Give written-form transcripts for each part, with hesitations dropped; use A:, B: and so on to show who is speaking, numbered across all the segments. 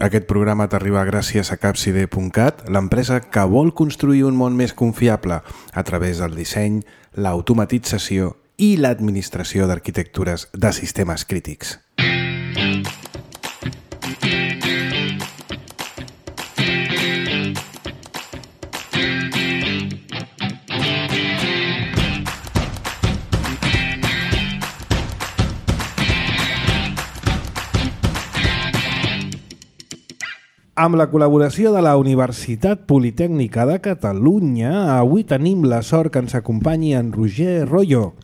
A: Aquest programa t'arriba gràcies a Capside.cat, l'empresa que vol construir un món més confiable a través del disseny, l'automatització i l'administració d'arquitectures de sistemes crítics. Amb la col·laboració de la Universitat Politècnica de Catalunya, avui tenim la sort que ens acompanyi en Roger Royo,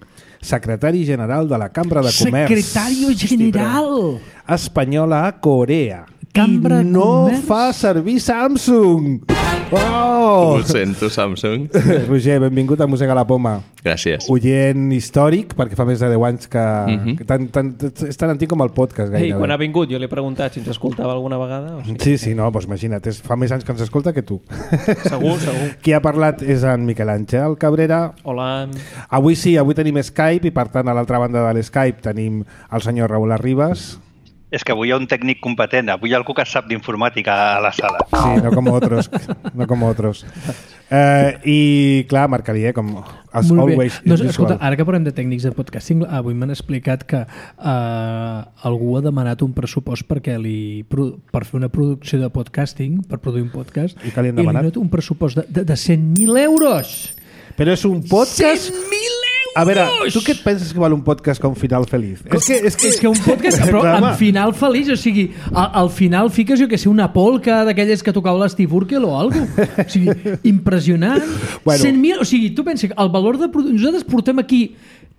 A: secretari general de la Cambra de Comerç.
B: Secretari general!
A: Espanyola a Corea.
B: Cambra
A: I no
B: Comerç?
A: fa servir Samsung! Oh!
C: Ho sento, Samsung.
A: Roger, benvingut a Mossega la Poma.
C: Gràcies.
A: Oient històric, perquè fa més de 10 anys que... és tan antic com el podcast,
D: Ei,
A: gairebé.
D: quan ha vingut jo li he preguntat si ens escoltava alguna vegada. O sigui,
A: Sí, no, doncs imagina't, fa més anys que ens escolta que tu.
D: segur, segur.
A: Qui ha parlat és en Miquel Àngel Cabrera.
D: Hola.
A: Avui tenim Skype i per tant a l'altra banda de l'Skype tenim el senyor Raúl Arribas.
E: És que avui hi ha un tècnic competent, avui hi ha algú que sap d'informàtica a la sala.
A: Sí, no como otros. No como otros. I clar, Marc Alier, com as
B: Molt bé.
A: always.
B: Doncs, escolta, ara que parlem de tècnics de podcasting, avui m'han explicat que algú ha demanat un pressupost per fer una producció de podcasting, per produir un podcast,
A: I què li han
B: li
A: demanat?
B: han donat un pressupost de 100.000 euros!
A: Però és un podcast...
B: 100.000 euros!
A: A veure, tu què et penses que val un podcast com Final Feliz?
B: És que un podcast, però amb final feliç, o sigui, al final fiques, jo que sé, una polca d'aquelles que tocava l'Steve Urkel o alguna cosa. O sigui, impressionant.
A: Bueno.
B: 100.000, o sigui, tu penses que el valor de... Nosaltres portem aquí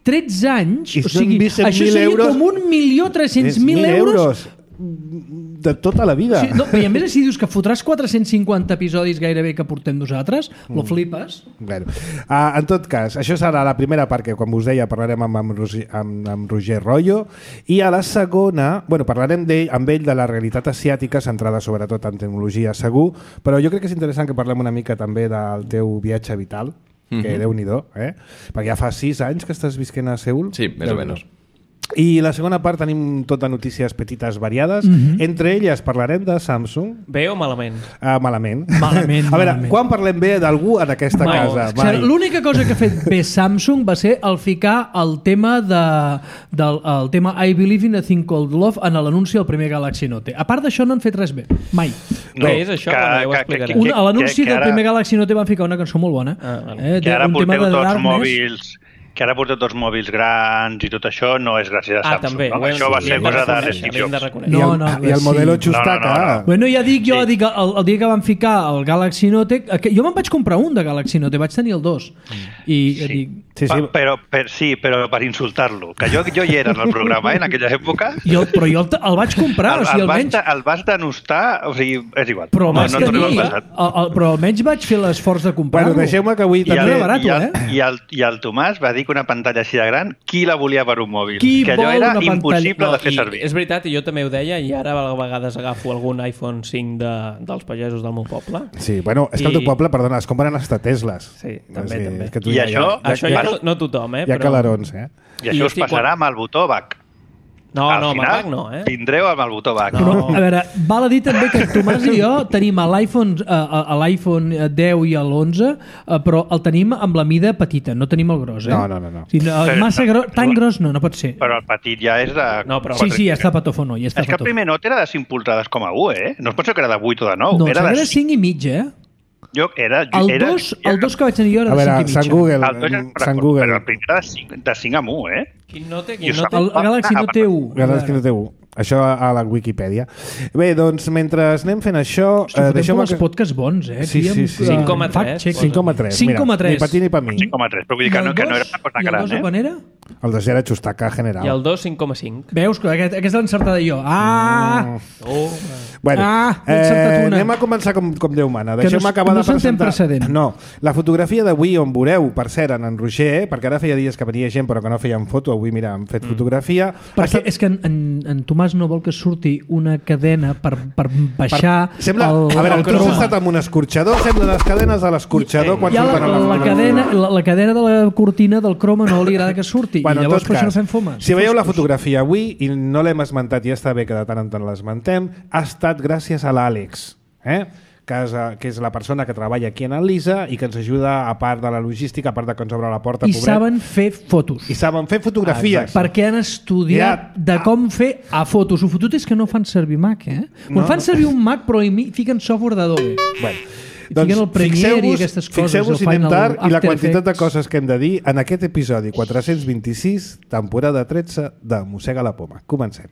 B: 13 anys,
A: I
B: o sigui,
A: són 100.000
B: això seria
A: euros.
B: com 1.300.000 euros.
A: De tota la vida.
B: Sí, no, i a més, si dius que fotràs 450 episodis gairebé que portem nosaltres, lo flipes.
A: Bueno, en tot cas, això serà la primera part que, com us deia, parlarem amb Roger Royo, i a la segona, parlarem amb ell de la realitat asiàtica, centrada sobretot en tecnologia segur, però jo crec que és interessant que parlem una mica també del teu viatge vital, que Déu-n'hi-do, perquè ja fa 6 anys que estàs visquent a Seül.
C: Sí, més o menys.
A: I la segona part tenim tot de notícies petites variades. Entre elles parlarem de Samsung.
D: Bé o malament?
A: Malament.
B: Malament,
A: A veure,
B: malament.
A: quan parlem bé d'algú en aquesta casa?
B: O sigui, l'única cosa que ha fet bé Samsung va ser el ficar el tema el tema I Believe in a Thing Called Love en l'anunci del primer Galaxy Note. A part d'això no han fet res bé. Mai.
D: Què és això? Ja ho explicaré.
B: A l'anunci del primer Galaxy Note van ficar una cançó molt bona.
E: Que ara porteu tots mòbils... Que ara porteu tots mòbils grans i tot això no és gràcies a Samsung.
D: També.
E: No? Això va ser cosa de Steve Jobs.
A: I el modelo Chustaca.
B: Bueno, ja dic jo, el dia que van ficar el Galaxy Note, jo me'n vaig comprar un de Galaxy Note, vaig tenir el 2. I dic...
E: Però per insultar-lo. Que jo hi era en el programa, en aquella època.
B: Però jo el vaig comprar.
E: El vas denostar, o sigui, és igual.
B: Però almenys vaig fer l'esforç de comprar-lo.
A: Bueno, deixeu-me que avui
E: també... I el Tomàs va dir que una pantalla així de gran, qui la volia per un mòbil? Que allò era impossible de fer servir.
D: És veritat, i jo també ho deia, i ara a vegades agafo algun iPhone 5 dels pagesos del meu poble.
A: Sí, bueno, és que el teu poble, perdona, es compren hasta Tesles.
D: Sí, també.
E: I això
D: no tothom,
A: Hi ha calarons,
E: I això us passarà amb el botó back.
D: No, amb el back no,
E: Tindreu amb el botó back.
B: No. A veure, val a dir també que Tomàs i jo tenim l'iPhone 10 i l'11, però el tenim amb la mida petita, no tenim el gros,
A: No.
B: O sigui, massa gros, tan gros no pot ser.
E: Però el petit ja és de...
B: No, però... Sí, ja està patofono.
E: És que el primer Note era de 5 polzades com a 1, No es pot ser que era de 8 o de 9.
B: No, era de 5 i mig, El 2 que vaig tenir jo era de 5 i mig.
A: Sant Google.
E: Però el primer era de 5 amb 1,
D: Quin Note?
B: El Galaxy Note 1.
A: Galaxy Note 1. Això a la Wikipedia. Bé, doncs, mentre anem fent això...
B: Deixeu-me els podcasts bons,
A: Sí.
D: 5,3.
A: 5,3. Mira, ni per ti ni per mi.
E: 5,3, però vull dir que no era una cosa gran,
B: I el 2 quan era?
A: El 2 era Chustaca general.
D: I el 2, 5,5.
B: Veus que aquesta l'encertada jo.
A: Bueno, anem a començar com Déu mana. Deixeu-me acabar de presentar... No, la fotografia d'avui on veureu, per cert, en Roger, perquè ara feia dies que venia gent però que no feien foto, avui, mira, hem fet fotografia.
B: Perquè és que en Tomàs no vol que surti una cadena per baixar
A: sembla, a veure, tu has estat amb un escorxador, sembla les cadenes de l'escorxador quan surten a la fotografia.
B: La cadena de la cortina del croma no li agrada que surti. Hosti, i llavors per això no fem fomes.
A: Si veieu la fotografia avui, i no l'hem esmentat, i ja està bé que de tant en tant l'esmentem, ha estat gràcies a l'Àlex, que és la persona que treballa aquí en el Lisa i que ens ajuda, a part de la logística, a part de que ens obre la porta,
B: I
A: pobret.
B: saben fer fotos.
A: I saben fer fotografies.
B: Perquè han estudiat de com fer a fotos. El fotut és que no fan servir Mac,
A: No.
B: Fan servir un Mac però fiquen software d'Adobe.
A: Bueno,
B: fiquen el Premiere i aquestes coses.
A: Fixeu-vos,
B: el
A: anem
B: Final
A: tard, i la
B: After
A: quantitat de
B: Effects.
A: coses que hem de dir en aquest episodi 426, temporada 13 de Mossega la Poma. Comencem.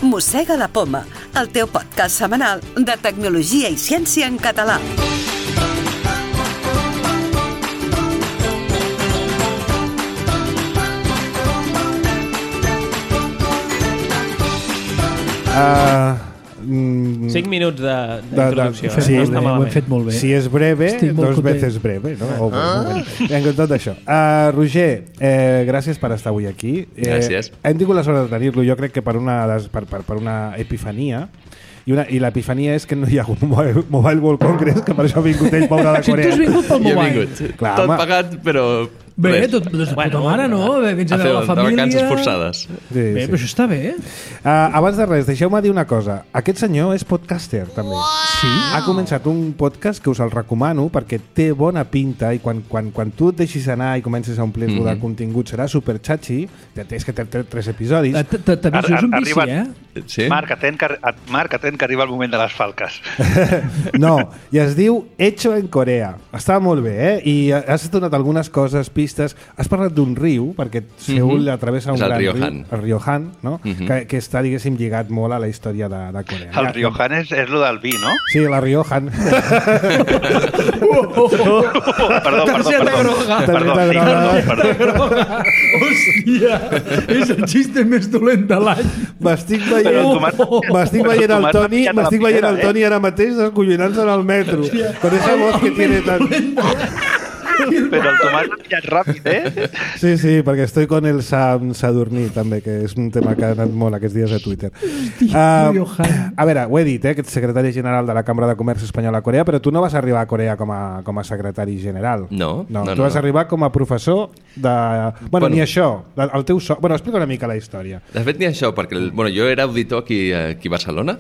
C: Mossega la Poma, el teu podcast setmanal de tecnologia i ciència en català.
D: Cinc minuts d'introducció.
A: sí,
D: no està
B: ho hem
D: malament.
B: fet molt bé.
A: Si és breve,
B: Estic molt
A: dos
B: content.
A: veces breve, no? Vinga, tot això. Roger, gràcies per estar avui aquí.
F: Gràcies.
A: Hem tingut la sort de tenir-lo, jo crec que per una epifania, i l'epifania és que no hi ha hagut Mobile World Congress, que per això ha vingut ell, pobre de
B: Si tu
A: Corea.
B: has vingut pel
F: Jo he
B: mobile.
F: vingut.
A: Clar,
F: Tot
A: home.
F: pagat, però...
B: Bé,
F: res.
B: tot de puta
D: Bueno,
B: mare, no? Vens a
F: A fer
B: veure la
F: de
B: família...
F: vacances forçades.
A: Sí,
B: Bé,
A: sí.
B: però això està bé.
A: Abans de res, deixeu-me dir una cosa. Aquest senyor és podcaster, també. Sí? Ha començat un podcast que us el recomano perquè té bona pinta i quan tu et deixis anar i comences a omplir-lo de contingut serà super xatxi. És que té 3 episodis.
B: T'aviso, és un vici,
F: Sí?
E: Marc, atent que arriba el moment de les falques.
A: No, i es diu Hecho en Corea. Està molt bé, I has donat algunes coses, pistes. Has parlat d'un riu, perquè Seul travessa un
F: És el
A: gran
F: riu
A: riu.
F: Han.
A: El riu Han, no? Que està, diguéssim, lligat molt a la història de Corea.
E: El Riojan és lo del vi, no?
A: Sí, la Riojan.
E: Perdó.
B: Groga. Hòstia, és el xiste més dolent de l'any.
A: M'estic
E: Però
A: veient el
E: Tomàs
A: Toni,
E: m'ha pillat a la
A: m'estic veient el
E: primera,
A: Toni ara mateix descollonant-se en el metro. Con esa voz que tiene tan...
E: Però el Tomàs l'ha pillat ràpid,
A: Sí, perquè estoy con el Sam Sadurní, també, que és un tema que ha anat molt aquests dies a Twitter.
B: Johan.
A: A veure, ho he dit, que ets secretari general de la Cambra de Comerç Espanyola a Corea, però tu no vas arribar a Corea com a secretari general.
F: No,
A: tu vas arribar com a professor de... Bueno, ni això, el teu Bueno, explica una mica la història.
F: De fet, ni això, perquè jo era auditor aquí a Barcelona.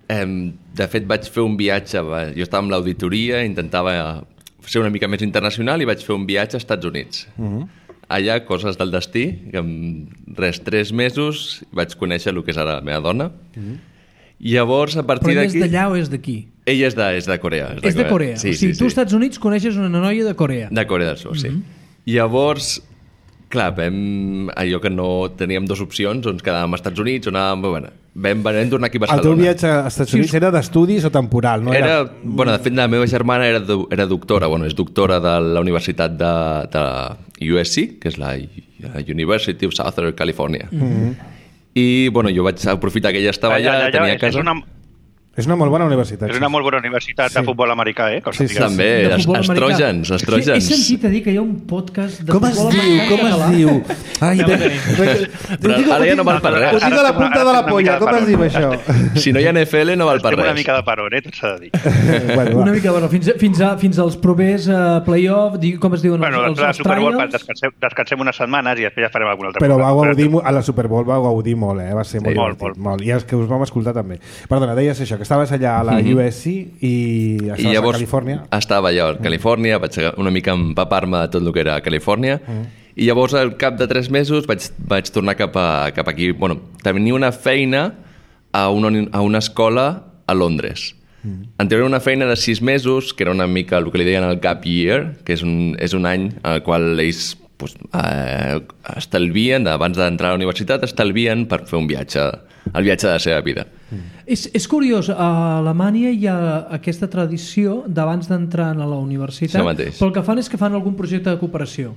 F: De fet, vaig fer un viatge... Jo estava amb l'auditoria, intentava ser una mica més internacional i vaig fer un viatge als Estats Units. Allà, coses del destí, que en 3 mesos vaig conèixer el que és ara la meva dona. I llavors, a partir
B: Però ell és
F: d'aquí...
B: d'allà o és d'aquí?
F: Ella és de Corea.
B: És de Corea.
F: Sí,
B: O sigui, tu als
F: sí.
B: Estats Units coneixes una noia de Corea.
F: De Corea del Sud, sí. Llavors, clar, allò que no teníem 2 opcions, on quedàvem als Estats Units, on anàvem... Bueno, vam tornar aquí a
A: El
F: Barcelona.
A: teu viatge als Estats Units era d'estudis o temporal? No
F: Bueno, de fet, la meva germana era doctora, és doctora de la Universitat de USC, que és la University of Southern California. I, jo vaig aprofitar que ella estava allà, tenia casa...
A: És una molt bona universitat.
E: És una molt bona universitat de futbol americà, que
A: Sí, sí.
F: També,
B: De futbol americà.
F: estrògens.
B: He sentit a dir que hi ha un podcast de
A: Com es
B: futbol
A: diu?
B: americà
A: Com es
B: català.
A: diu? Ai,
F: Però ara ja no val per res.
A: Ho tinc a la punta de la polla. Com es diu això?
F: Si no hi ha NFL, no val per
E: Estem una
F: res.
E: mica de paror, tot s'ha de dir.
A: Bueno,
B: Una
A: va.
B: mica, fins als propers playoff, com es diuen
E: Bueno,
B: els
E: la Super Bowl,
B: trials?
E: descansem unes setmanes i després ja farem alguna altra
A: Però
E: cosa.
A: vau gaudir, a la Super Bowl vau gaudir molt, Va ser molt
E: Molt,
A: divertit. Molt. I els que us vam escoltar també. Perdona, deies això, que estaves allà a la USC i estaves
F: I llavors
A: a Califòrnia.
F: estava allà a Califòrnia, vaig una mica empapar-me de tot el que era Califòrnia, i llavors al cap de 3 mesos vaig tornar cap aquí. Tenia una feina a una escola a Londres. Anterior una feina de 6 mesos, que era una mica el que li deien el gap year, que és un any en el qual ells estalvien, abans d'entrar a la universitat, estalvien per fer un viatge, el viatge de la seva vida.
B: És curiós, a Alemanya hi ha aquesta tradició d'abans d'entrar a la universitat,
F: Això mateix.
B: però el que fan és que fan algun projecte de cooperació.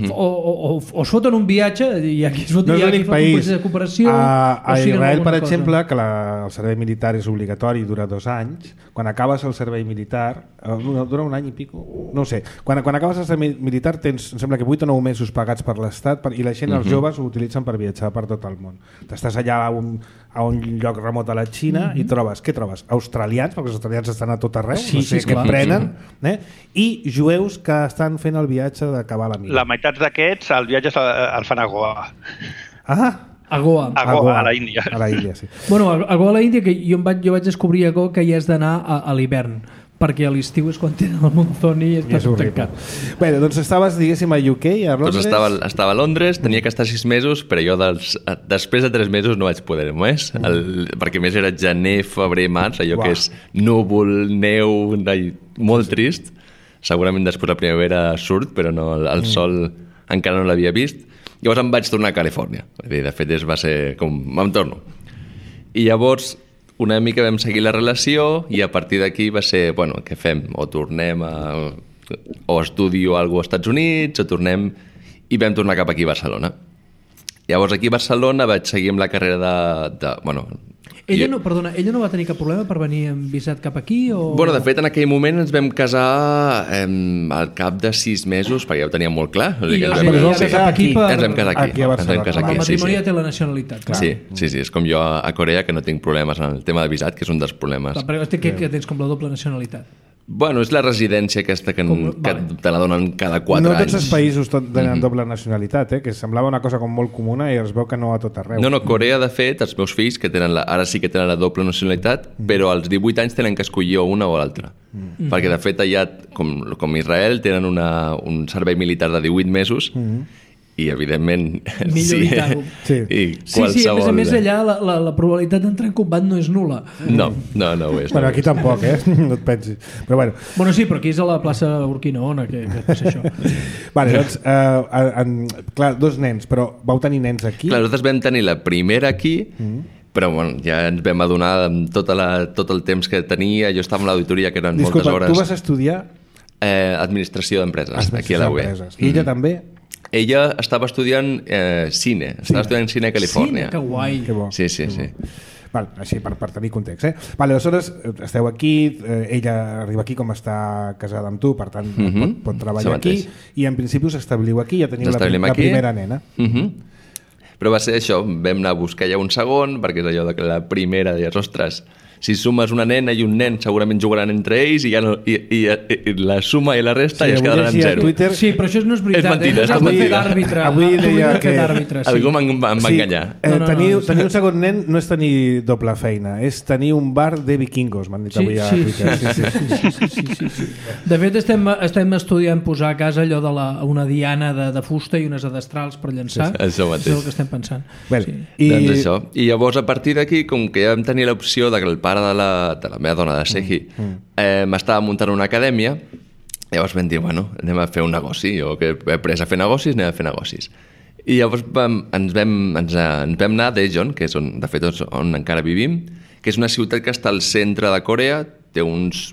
B: O es foten un viatge, i aquí es foten
A: No és
B: un
A: l'únic país.
B: projecte de cooperació...
A: A
B: o siguen
A: Israel, per
B: alguna cosa.
A: exemple, que el servei militar és obligatori i dura 2 anys, quan acabes el servei militar, dura un any i pico, no ho sé, quan acabes el servei militar tens, em sembla que 8 o 9 mesos pagats per l'Estat i aquí la gent, els joves ho utilitzen per viatjar per tot el món. T'estàs allà a un lloc remot a la Xina i trobes, què trobes? Australians, perquè els australians estan a tot arreu, no sé què prenen, i jueus que estan fent el viatge d'acabar la mida.
E: La meitat d'aquests, el viatge el fan a Goa.
B: A Goa.
E: A la Índia.
A: A la Índia, sí.
B: Bueno, a Goa a la Índia, que jo vaig descobrir a Goa que hi has d'anar a l'hivern, perquè a l'estiu és quan tenen el monzón i està tot tancat.
A: Bé, doncs estaves, diguéssim, a UK, a Londres...
F: Doncs estava a Londres, tenia que estar 6 mesos, però jo després de 3 mesos no vaig poder més, perquè més era gener, febrer, març, allò que és núvol, neu, molt trist. Segurament després la primavera surt, però no, el sol encara no l'havia vist. Llavors em vaig tornar a Califòrnia. De fet, va ser com... Em torno. I llavors, una mica vam seguir la relació i a partir d'aquí va ser, bueno, què fem? O tornem o estudio alguna cosa als Estats Units, o tornem... I vam tornar cap aquí a Barcelona. Llavors, aquí a Barcelona vaig seguir amb la carrera de bueno...
B: Ella no va tenir cap problema per venir amb visat cap aquí? O...
F: Bueno, de fet, en aquell moment ens vam casar al cap de 6 mesos, perquè ja ho teníem molt clar.
B: I ens vam casar aquí.
F: Ens vam casar aquí.
B: El matrimoni ja té la nacionalitat, clar.
F: Sí, és com jo a Corea, que no tinc problemes en el tema de visat, que és un dels problemes.
B: Però que tens com la doble nacionalitat.
F: Bueno, és la residència aquesta que te la donen cada 4 anys.
A: No tots els països tenen doble nacionalitat, que semblava una cosa com molt comuna i es veu que no a tot arreu.
F: No, Corea, de fet, els meus fills, que tenen ara sí que tenen la doble nacionalitat, però als 18 anys tenen que escollir una o l'altra. Perquè, de fet, allà, com Israel, tenen un servei militar de 18 mesos i, evidentment...
B: Millor evitar-ho. Sí, a més allà la probabilitat d'entrar en combat no és nul·la.
F: No ho és.
A: Bueno, aquí tampoc, no et pensis. Però bueno.
B: Bueno, sí, però aquí és a la plaça Urquinaona que passa això.
A: Vale, doncs, clar, 2 nens, però vau tenir nens aquí?
F: Clar, nosaltres vam tenir la primera aquí, però bueno, ja ens vam adonar amb tot el temps que tenia. Jo estava en l'auditoria, que eren moltes hores.
A: Tu vas estudiar?
F: Administració d'empreses, aquí a la UE.
A: I ella també?
F: Ella estava estudiant cine. Estava estudiant cine a Califòrnia.
B: Cine, que guai.
A: Que bo.
F: Sí.
A: Val, així per tenir context. Vale, aleshores esteu aquí, ella arriba aquí com està casada amb tu, per tant pot treballar aquí, i en principi us establiu aquí, ja teniu la primera nena.
F: Però va ser això, vam anar a buscar ja un segon, perquè és allò que la primera deies, ostres, si sumes una nena i un nen segurament jugaran entre ells i ja no, i la suma i la resta ja es quedaran en 0.
B: Twitter... Sí, però això no és veritat.
F: És mentida.
A: Avui deia que...
F: Algú em va enganyar.
A: Tenir un segon nen no és tenir doble feina, és tenir un bar de vikingos, m'han dit avui a Twitter.
B: Sí. De fet, estem estudiant posar a casa allò una diana de fusta i unes adestrals per llançar.
F: Això mateix.
B: És el que estem pensant.
F: Doncs això. I llavors, a partir d'aquí, com que ja vam tenir l'opció de que el pare de la meva dona, de Sehi, m'estava muntant una acadèmia, llavors vam dir, bueno, anem a fer un negoci. Jo que he après a fer negocis, anem a fer negocis. I llavors ens vam anar a Daejeon, que és on, de fet, on encara vivim, que és una ciutat que està al centre de Corea, té uns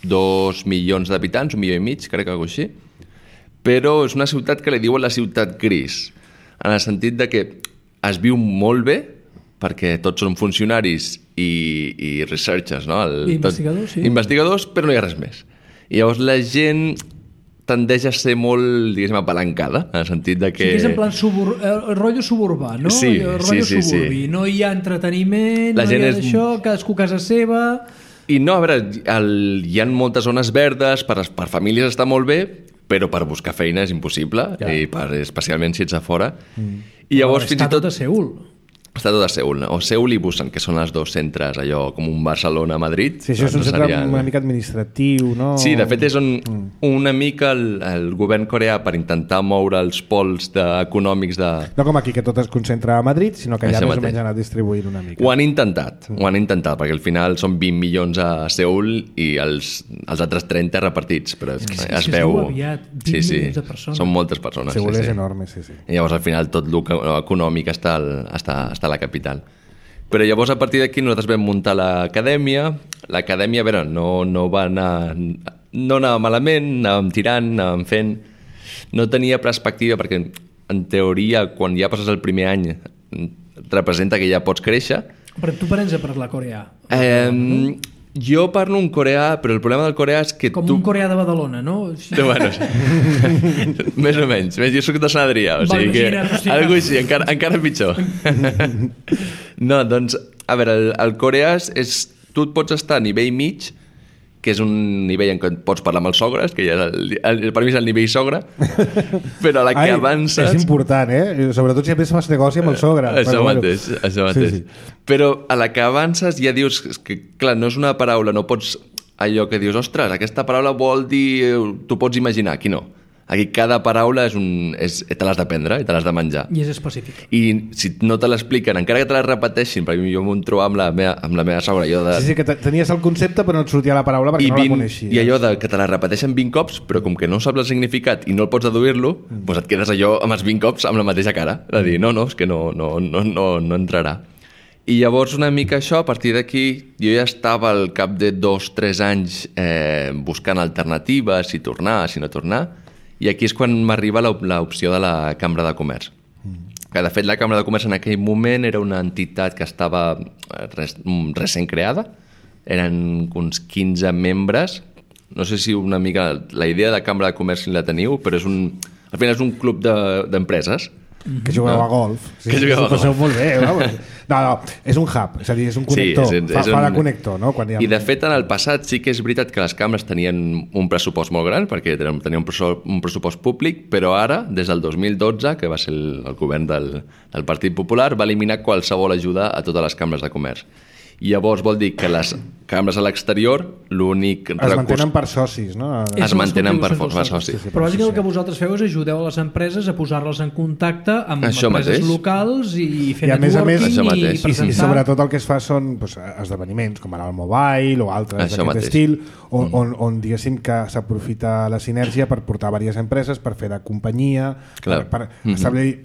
F: 2 milions d'habitants, 1,5 milions, crec que alguna cosa així, però és una ciutat que li diuen la ciutat gris, en el sentit de que es viu molt bé, perquè tots són funcionaris i researchers, no?
B: Investigadors, sí.
F: Investigadors, però no hi ha res més. I llavors la gent tendeix a ser molt, diguéssim, apalancada, en el sentit de que...
B: Sí, és en plan rotllo suburbà, no?
F: Sí.
B: Suburbi. No hi ha entreteniment, no hi ha d'això, cadascú a casa seva...
F: I no, a veure, hi ha moltes zones verdes, per famílies està molt bé, però per buscar feina és impossible, i especialment si ets a fora. I llavors, fins i tot...
B: Està tot a Seül.
F: Està tot a Seül, o Seül i Busan, que són els 2 centres, allò com un Barcelona-Madrid.
A: Sí, això és un centre una mica administratiu, no?
F: Sí, de fet és una mica el govern coreà per intentar moure els pols econòmics de...
A: No com aquí, que tot es concentra a Madrid, sinó que allà més o menys han anat distribuint una mica.
F: Ho han intentat, perquè al final són 20 milions a Seül i els altres 30 repartits, però es veu...
B: Aviat, 20 milions de persones.
F: Són moltes persones.
A: Seül és enorme, sí.
F: I llavors al final tot l'econòmic està a la capital. Però llavors a partir d'aquí nosaltres vam muntar l'acadèmia. L'acadèmia, a veure, no va anar... No anava malament, anàvem tirant, anàvem fent... No tenia perspectiva perquè, en teoria, quan ja passes el primer any, representa que ja pots créixer.
B: Però tu parents a parlar coreà?
F: Jo parlo un coreà, però el problema del coreà és que
B: Com un coreà de Badalona, no?
F: Bueno, més o menys. Jo soc de Sant Adrià, o sigui que... Algo així, encara pitjor. No, doncs, a veure, el coreà és... Tu et pots estar a nivell mig, que és un nivell en què pots parlar amb els sogres, que ja per mi és el nivell sogre, però a la que avances...
A: És important, Sobretot si a més fas negoci amb el sogre.
F: Això mateix. Sí. Però a la que avances ja dius que, clar, no és una paraula, no pots... Allò que dius, ostres, aquesta paraula vol dir... Tu pots imaginar, aquí no. Aquí cada paraula te l'has d'aprendre i te l'has de menjar.
B: I és específica.
F: I si no te l'expliquen, encara que te la repeteixin, perquè jo m'ho trobo amb la meva sogra,
A: Sí, que tenies el concepte però no et sortia la paraula perquè no la coneixies.
F: I allò que te la repeteixen 20 cops, però com que no saps el significat i no el pots deduir-lo, doncs et quedes allò amb els 20 cops amb la mateixa cara. De dir, no, és que no entrarà. I llavors una mica això, a partir d'aquí, jo ja estava al cap de 2-3 anys buscant alternatives, si tornar, si no tornar, i aquí és quan m'arriba l'opció de la Cambra de Comerç. Que, de fet, la Cambra de Comerç en aquell moment era una entitat que estava recent creada. Eren uns 15 membres. No sé si una mica... La idea de Cambra de Comerç si la teniu, però al final és un club d'empreses.
A: Que jugueu a golf.
F: Que jugueu a golf.
A: Molt bé, no, és un hub, és a dir, és un connector.
F: Sí,
A: fa de connector, no?
F: I de fet, en el passat sí que és veritat que les cambres tenien un pressupost molt gran, perquè tenien un pressupost públic, però ara, des del 2012, que va ser el govern del Partit Popular, va eliminar qualsevol ajuda a totes les cambres de comerç. I llavors vol dir que les cambres a l'exterior, l'únic recurs...
A: Es mantenen per socis, no?
F: Es mantenen per socis.
B: Però bàsicament el que vosaltres feu és ajudeu a les empreses a posar-les en contacte amb empreses locals i fer networking i presentar...
A: I sobretot el que es fa són esdeveniments com ara el Mobile o altres d'aquest estil, on diguéssim que s'aprofita la sinergia per portar diverses empreses, per fer de companyia, per establir...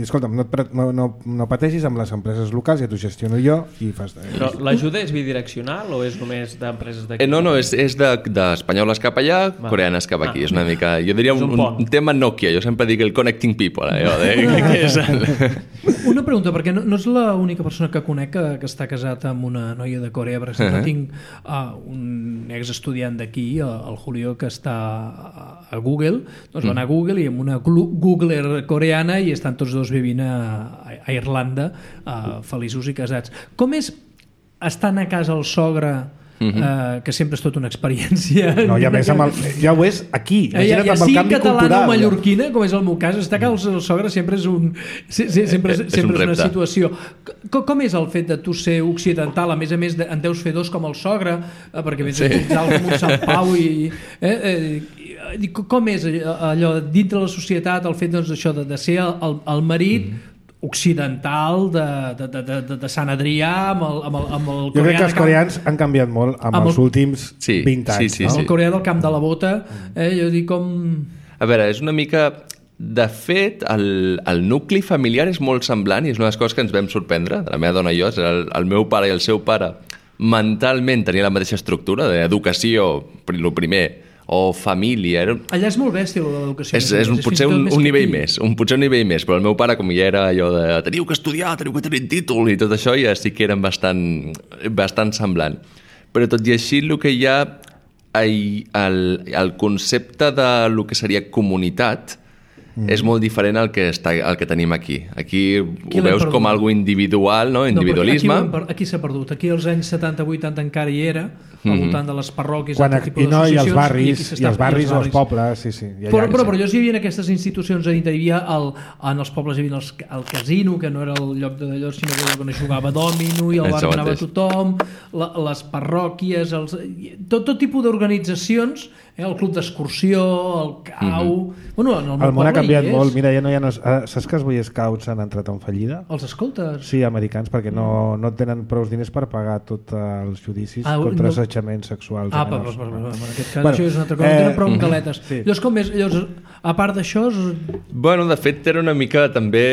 A: Escolta'm, no pateixis amb les empreses locals, ja t'ho gestiono jo i fas...
D: L'ajuda és bidireccional o és només d'empreses d'aquí?
F: No, és d'espanyoles cap allà, coreanes cap aquí. És una mica... Jo diria un tema Nokia. Jo sempre dic el connecting people.
B: Una pregunta, perquè no és l'única persona que conec que està casat amb una noia de Corea. Per exemple, tinc un exestudiant d'aquí, el Julio, que està a Google. Doncs va anar a Google i amb una Googler coreana i estan tots dos vivint a Irlanda, feliços i casats. Com és estant a casa el sogre, que sempre és tota una experiència...
A: No, i a més, ja ho és aquí. Imagina't amb el canvi cultural.
B: Catalana o mallorquina, com és el meu cas, estar a casa el sogre sempre és una situació. Com és el fet de tu ser occidental? A més, en deus fer dos com el sogre, perquè vens a utilitzar com un Sant Pau i... Com és allò dintre la societat, el fet d'això de ser el marit occidental de Sant Adrià amb el
A: jo crec que els coreans han canviat molt amb els últims 20 anys.
B: El coreà del camp de la bota, jo dic com...
F: A veure, és una mica... De fet, el nucli familiar és molt semblant i és una de les coses que ens vam sorprendre, de la meva dona i jo, el meu pare i el seu pare mentalment tenien la mateixa estructura d'educació, el primer, o família.
B: Allà és molt bèstia l'educació.
F: És potser un nivell més, però el meu pare, com ja era allò de teniu que estudiar, teniu que tenir títol i tot això, ja sí que eren bastant semblant. Però tot i així el que hi ha el concepte de lo que seria comunitat és molt diferent al que tenim aquí. Aquí ho veus com algo individual, no? Individualisme.
B: Aquí s'ha perdut. Aquí als anys 70-80 encara hi era, al voltant de les parròquies,
A: i no, i els barris o els pobles, sí.
B: Però jo sí hi havia aquestes institucions, hi havia en els pobles hi havia el casino, que no era el lloc d'allò, sinó que on es jugava dòmino i al bar anava tothom, les parròquies, tot tipus d'organitzacions, el club d'excursió, el cau...
A: El món ha canviat molt. Mira, ja no... Saps que els Boy Scouts han entrat en fallida?
B: Els escoltes?
A: Sí, americans, perquè no tenen prou diners per pagar tots els judicis contra assetjaments sexuals.
B: En aquest cas això és una altra cosa. No tenen prou caletes. Llavors, com és? A part d'això...
F: Bueno, de fet, era una mica també...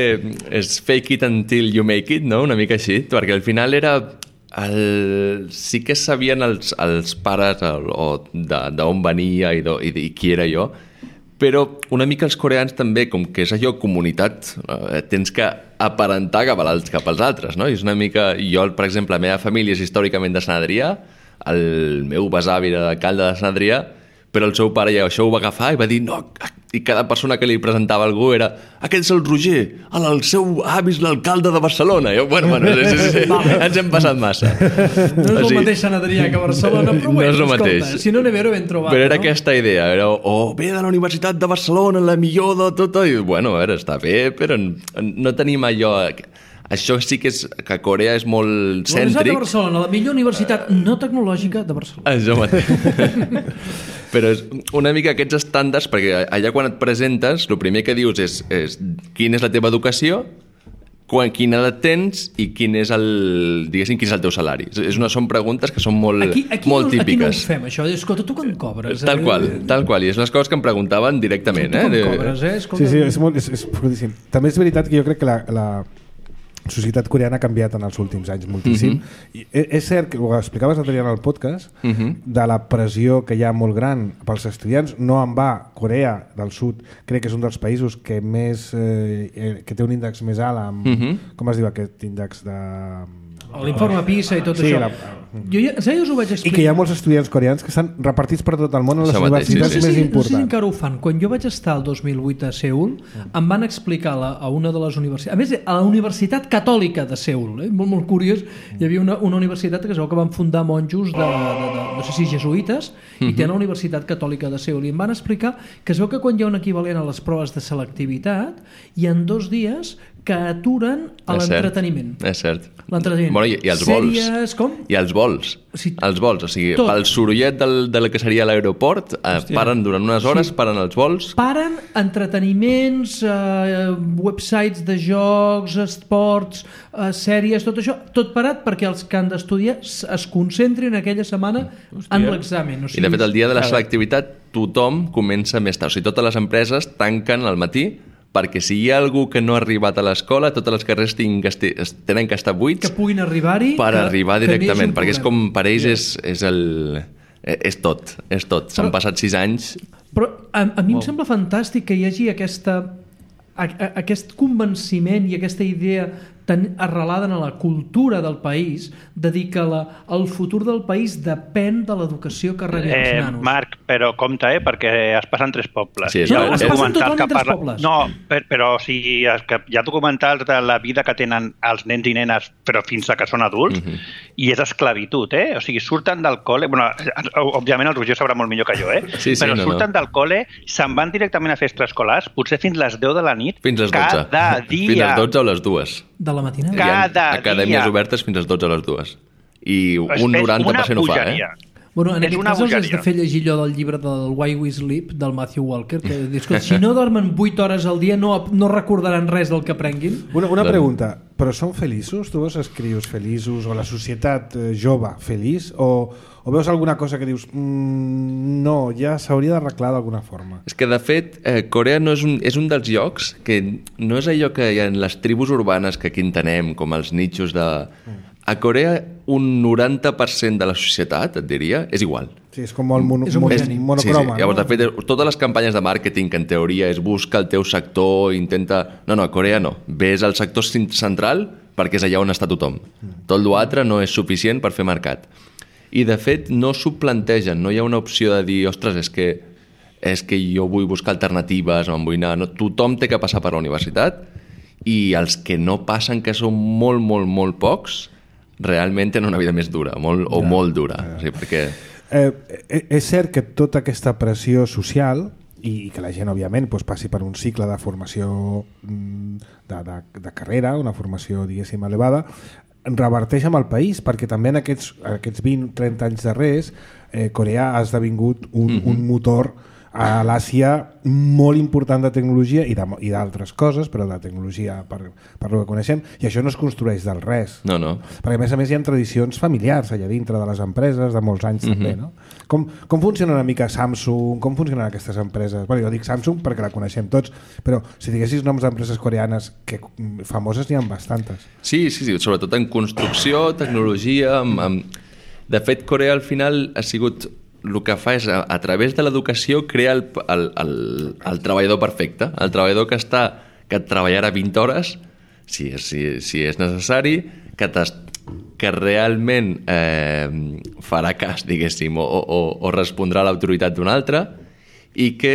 F: És fake it until you make it, no? Una mica així, perquè al final era... Sí que sabien els pares d'on venia i qui era jo, però una mica els coreans també, com que és allò comunitat, tens que aparentar cap als altres, no? I és una mica... Jo, per exemple, la meva família és històricament de Sant Adrià, el meu besavi era alcalde de Sant Adrià, però el seu pare ja això ho va agafar i va dir no, i cada persona que li presentava algú era aquest és el Roger, el seu avi és l'alcalde de Barcelona. I jo, bueno, sí. Ens hem passat massa.
B: No és el mateix Sant Adrià que Barcelona, però
F: no és el
B: escolta,
F: mateix.
B: Si no n'he ben trobat.
F: Però era aquesta idea, era ve de la Universitat de Barcelona, la millor de tot, i bueno, a veure, està bé, però no tenim allò... Això sí que és que Corea és molt cèntric.
B: La Universitat de Barcelona, la millor universitat no tecnològica de Barcelona.
F: Això mateix. Però és una mica aquests estàndards, perquè allà quan et presentes, el primer que dius és quina és la teva educació, quina edat tens i quin és el teu salari. Són preguntes que són molt típiques.
B: Aquí no ho fem, això. Escolta, tu quan cobres?
F: Tal qual. I és les coses que em preguntaven directament.
B: Tu quan cobres, Escolta.
A: Sí, és fortíssim. També és veritat que jo crec que la societat coreana ha canviat en els últims anys moltíssim. I és cert que ho explicaves l'altre dia en el podcast de la pressió que hi ha molt gran pels estudiants. No en va, Corea del Sud crec que és un dels països que més que té un índex més alt amb, com es diu aquest índex de...
B: L'informe PISA i tot això. Jo us ho vaig explicar.
A: I que hi ha molts estudiants coreans que estan repartits per tot el món en les universitats més importants.
B: No sé si encara ho fan. Quan jo vaig estar el 2008 a Seul, em van explicar a una de les universitats, a més, a la Universitat Catòlica de Seul, molt curiós, hi havia una universitat que es veu que van fundar monjos no sé si jesuïtes, i tenen la Universitat Catòlica de Seul, i em van explicar que es veu que quan hi ha un equivalent a les proves de selectivitat, hi ha 2 dies que aturen a l'entreteniment.
F: És cert.
B: L'entreteniment.
F: Bueno, i els vols.
B: Sèries, com?
F: I els vols.
B: Sí.
F: Els vols, o sigui, pel sorollet del que seria l'aeroport, paren durant unes hores, paren els vols.
B: Paren entreteniments, websites de jocs, esports, sèries, tot això, tot parat perquè els que han d'estudiar es concentrin aquella setmana en l'examen. O sigui,
F: I de fet, el dia de la selectivitat tothom comença més tard. O sigui, totes les empreses tanquen al matí perquè si hi ha algú que no ha arribat a l'escola, totes les carreres tenen que estar buits
B: que puguin arribar-hi
F: per arribar directament, perquè és com per ells és tot. S'han passat 6 anys.
B: Però a mi em sembla fantàstic que hi hagi aquest convenciment i aquesta idea tan arrelada en la cultura del país de dir que el futur del país depèn de l'educació que rebin els nanos.
E: Marc, però compte, perquè es passen 3 pobles.
F: Sí,
B: es passen totalment 3 pobles.
E: No, però o sigui, hi ha documentals de la vida que tenen els nens i nenes, però fins a que són adults, i és esclavitud, O sigui, surten del col·le... Bueno, òbviament el Roger sabrà molt millor que jo,
F: Sí,
E: però surten del col·le, se'n van directament a fer extraescolars, potser fins les 10 de la nit,
F: fins les 12.
E: Cada dia.
F: Fins les 12 o les 2.
B: De la matinada?
E: Cada dia.
F: Acadèmies obertes fins les 12 a les 2. I un 90% ho fa,
B: Bueno, en aquest cas els has de fer llegir allò del llibre del Why We Sleep, del Matthew Walker, que dius que si no dormen 8 hores al dia no recordaran res del que aprenguin.
A: Una pregunta, però són feliços? Tu veus els crios feliços o la societat jove feliç? O veus alguna cosa que dius no, ja s'hauria d'arreglar d'alguna forma?
F: És que de fet Corea no és un dels llocs que no és allò que hi ha en les tribus urbanes que aquí entenem, com els nichos de... A Corea un 90% de la societat, et diria, és igual.
A: Sí, és com molt monocroma.
F: Llavors, de fet, totes les campanyes de màrqueting que en teoria és busca el teu sector, intenta... No, a Corea no. Ves al sector central perquè és allà on està tothom. Tot l'altre no és suficient per fer mercat. I, de fet, no s'ho plantegen. No hi ha una opció de dir, ostres, és que jo vull buscar alternatives, no em vull anar... No, tothom té que passar per la universitat i els que no passen, que són molt pocs, realment tenen una vida més dura, molt dura. O sigui, perquè...
A: és cert que tota aquesta pressió social i que la gent, òbviament, passi per un cicle de formació de carrera, una formació, diguéssim, elevada, reverteix amb el país, perquè també en aquests 20-30 anys darrers Corea ha esdevingut un motor a l'Àsia molt important de tecnologia i d'altres coses, però de tecnologia per el que coneixem, i això no es construeix del res.
F: No.
A: Perquè a més hi ha tradicions familiars allà dintre de les empreses de molts anys també, no? Com funciona una mica Samsung? Com funcionen aquestes empreses? Bueno, jo dic Samsung perquè la coneixem tots, però si diguessis noms d'empreses coreanes que famoses n'hi ha bastantes.
F: Sí, sobretot en construcció, tecnologia... De fet, Corea al final ha sigut... El que fa és, a través de l'educació, crear el treballador perfecte, el treballador que treballarà 20 hores, si és necessari, que que realment farà cas, diguéssim, o respondrà a l'autoritat d'un altre, i que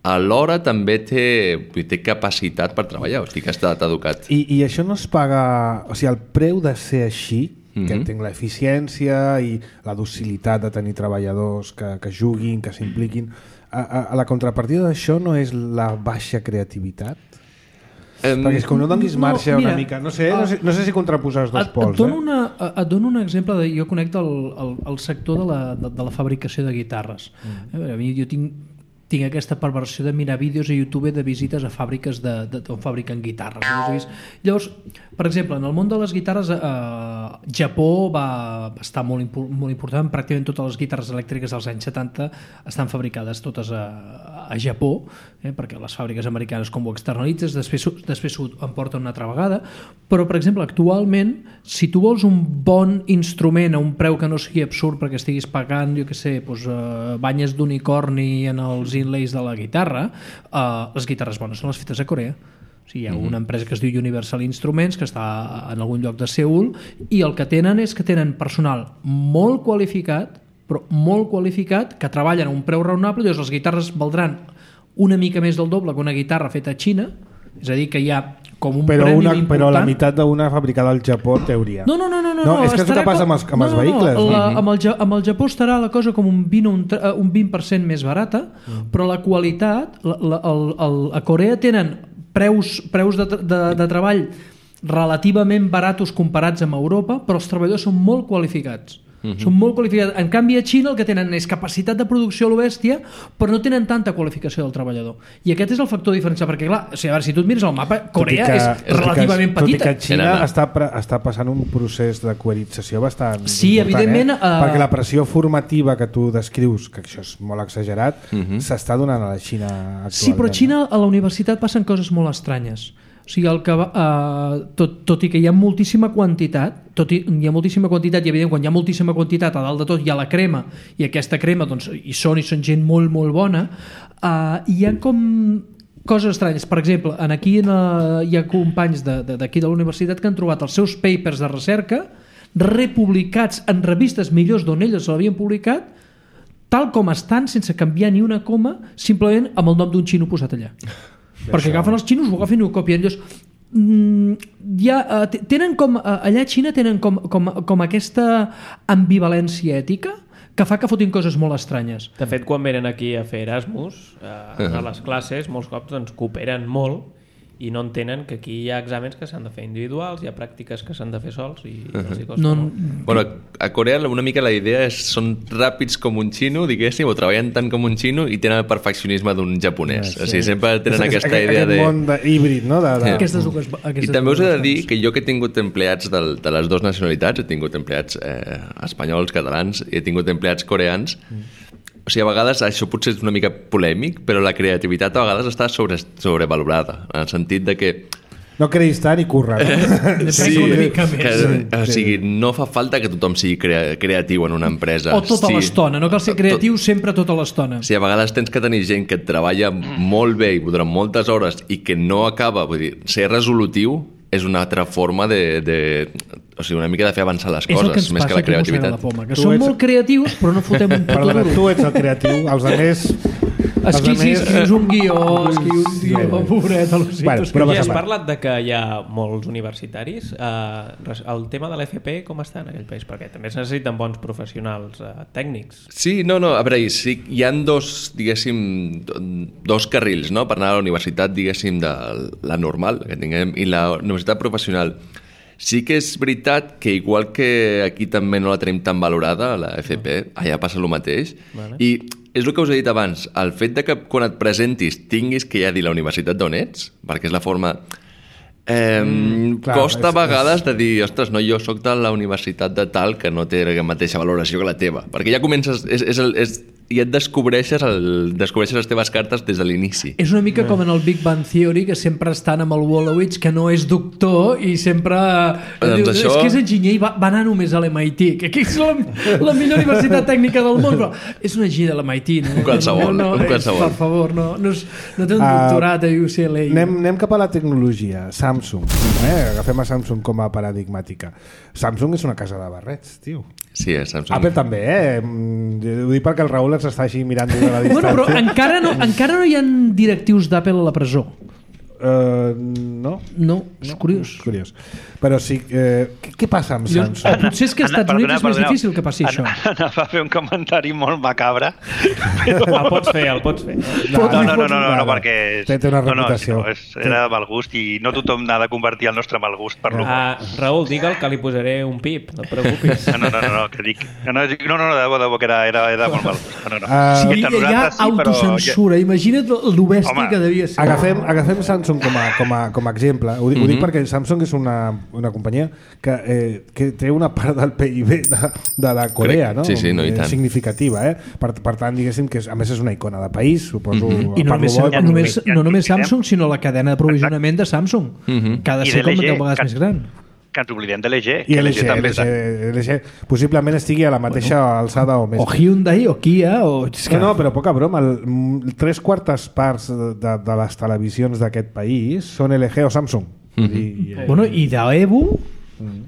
F: alhora també té capacitat per treballar, o sigui que ha estat educat.
A: I això no es paga... O sigui, el preu de ser així, que entenc l'eficiència i la docilitat de tenir treballadors que juguin, que s'impliquin, a la contrapartida d'això no és la baixa creativitat? Perquè és com no donis marxa una mica... No sé si contraposar els dos pols.
B: Et dono un exemple. Jo conec el sector de la fabricació de guitarres. Jo tinc aquesta perversió de mirar vídeos a YouTube de visites a fàbriques on fabriquen guitarres. Llavors, per exemple, en el món de les guitarres, Japó va estar molt important. Pràcticament totes les guitarres elèctriques dels anys 70 estan fabricades totes a Japó, perquè les fàbriques americanes com ho externalitzes, després ho emporten una altra vegada. Però, per exemple, actualment, si tu vols un bon instrument a un preu que no sigui absurd perquè estiguis pagant, jo què sé, banyes d'unicorni en els inlays de la guitarra, les guitarres bones són les fetes a Corea. O sigui, hi ha una empresa que es diu Universal Instruments, que està en algun lloc de Seül, i el que tenen és que tenen personal molt qualificat, però molt qualificat, que treballen a un preu raonable. Llavors les guitarres valdran una mica més del doble que una guitarra feta a Xina, és a dir, que hi ha com un premi important. Però
A: la meitat d'una fabricada al Japó, en teoria.
B: No,
A: és que és el que passa amb els vehicles.
B: Amb el Japó estarà la cosa com un 20% més barata, però la qualitat, a Corea tenen preus de treball relativament baratos comparats amb Europa, però els treballadors són molt qualificats. Són molt qualificats. En canvi, a Xina el que tenen és capacitat de producció a lo bèstia, però no tenen tanta qualificació del treballador. I aquest és el factor diferencial, perquè clar, a veure, si tu et mires el mapa, Corea és relativament petita.
A: Tot i que Xina està passant un procés de coerització bastant important.
B: Sí, evidentment.
A: Perquè la pressió formativa que tu descrius, que això és molt exagerat, s'està donant a la Xina actualment.
B: Sí, però a Xina, a la universitat, passen coses molt estranyes. O sigui, tot i que hi ha moltíssima quantitat, i evident quan hi ha moltíssima quantitat a dalt de tot hi ha la crema, i aquesta crema doncs, hi són gent molt molt bona, hi ha com coses estranyes. Per exemple, aquí hi ha companys d'aquí de la universitat que han trobat els seus papers de recerca republicats en revistes millors d'on ells l'havien publicat, tal com estan, sense canviar ni una coma, simplement amb el nom d'un xino posat allà. Perquè agafen els xinos, ho agafen i ho copien. Tenen com, allà a Xina tenen com aquesta ambivalència ètica que fa que fotin coses molt estranyes.
D: De fet, quan venen aquí a fer Erasmus, a les classes, molts cops doncs, cooperen molt i no entenen que aquí hi ha exàmens que s'han de fer individuals, hi ha pràctiques que s'han de fer sols i els hi costa molt.
F: Bueno, a Corea una mica la idea és són ràpids com un xino, diguéssim, o treballen tant com un xino i tenen el perfeccionisme d'un japonès. O sigui, sempre tenen aquesta idea de...
A: Aquest món híbrid, no?
F: I també us he de dir que jo que he tingut empleats de les dues nacionalitats, he tingut empleats espanyols, catalans, i he tingut empleats coreans. O sigui, a vegades això potser és una mica polèmic, però la creativitat a vegades està sobrevalorada, en el sentit de que...
A: No creïs tant i curra. No?
B: Sí, una mica més.
F: O sigui, no fa falta que tothom sigui creatiu en una empresa.
B: O tota l'estona, no cal ser creatiu sempre tota l'estona.
F: Sí, a vegades tens que tenir gent que treballa molt bé i durant moltes hores i que no acaba, vull dir, ser resolutiu és una altra forma o sigui, una mica de fer avançar les coses, més que la creativitat.
B: Que som molt creatius, però no fotem un puto duro.
A: Tu ets el creatiu, els altres...
B: Escrius un guió, pobret,
D: però ja has parlat de que hi ha molts universitaris. El tema de l'FP com està en aquell país? Perquè també es necessiten bons professionals tècnics.
F: Sí, no, a veure, sí, hi ha dos carrils, no?, per anar a la universitat, diguéssim, de la normal que tinguem i la universitat professional. Sí que és veritat que igual que aquí també no la tenim tan valorada, la FP, allà passa el mateix. Vale. I és el que us he dit abans, el fet de que quan et presentis tinguis que ja dir la universitat d'on ets, perquè és la forma... costa a vegades de dir, ostres, no, jo sóc de la universitat de tal que no té la mateixa valoració que la teva, perquè ja comences... i et descobreixes les teves cartes des de l'inici.
B: És una mica com en el Big Bang Theory, que sempre estan amb el Wolowitz, que no és doctor i sempre diu,
F: això...
B: és que és enginyer i va anar només a l'MIT, que és la millor universitat tècnica del món, però és un enginyer de l'MIT.
F: Qualsevol.
B: Per favor, no té un doctorat a UCLA.
A: Anem cap a la tecnologia. Samsung. Agafem a Samsung com a paradigmàtica. Samsung és una casa de barrets, tio.
F: Sí, Samsung.
A: Apple també, Ho dic perquè el Raül ens està així mirant des de la distància.
B: Bueno, però encara no hi ha directius d'Apple a la presó.
A: No,
B: és curiós.
A: Però sí, què passa amb Samsung?
B: Potser és que als Estats Units és més difícil que passi això.
E: Anava a fer un comentari molt macabre.
D: El pots fer.
E: No, perquè...
A: Té una reputació.
E: Era de mal gust i no tothom n'ha de convertir el nostre mal gust per l'humor.
D: Raül, digue'l que li posaré un pip, no et preocupis.
E: No, que dic... No, de debò, que era de molt mal gust.
B: Sí, hi ha autocensura. Imagina't el bèstia que devia ser.
A: Agafem Samsung com a exemple. Ho dic perquè Samsung és una companyia que té una part del PIB de la Corea, no?
F: Sí, no, i tant.
A: Significativa, Per tant, diguéssim que a més és una icona de país, suposo.
B: I no només Samsung, sinó la cadena d'aprovisionament de Samsung, que ha de ser com 10 vegades més gran.
E: Que ens oblidem de l'EG.
A: I l'EG possiblement estigui a la mateixa alçada o més.
B: O Hyundai, o Kia, o...
A: No, però poca broma. 3/4 parts de les televisions d'aquest país són LG o Samsung.
B: I d'Evo,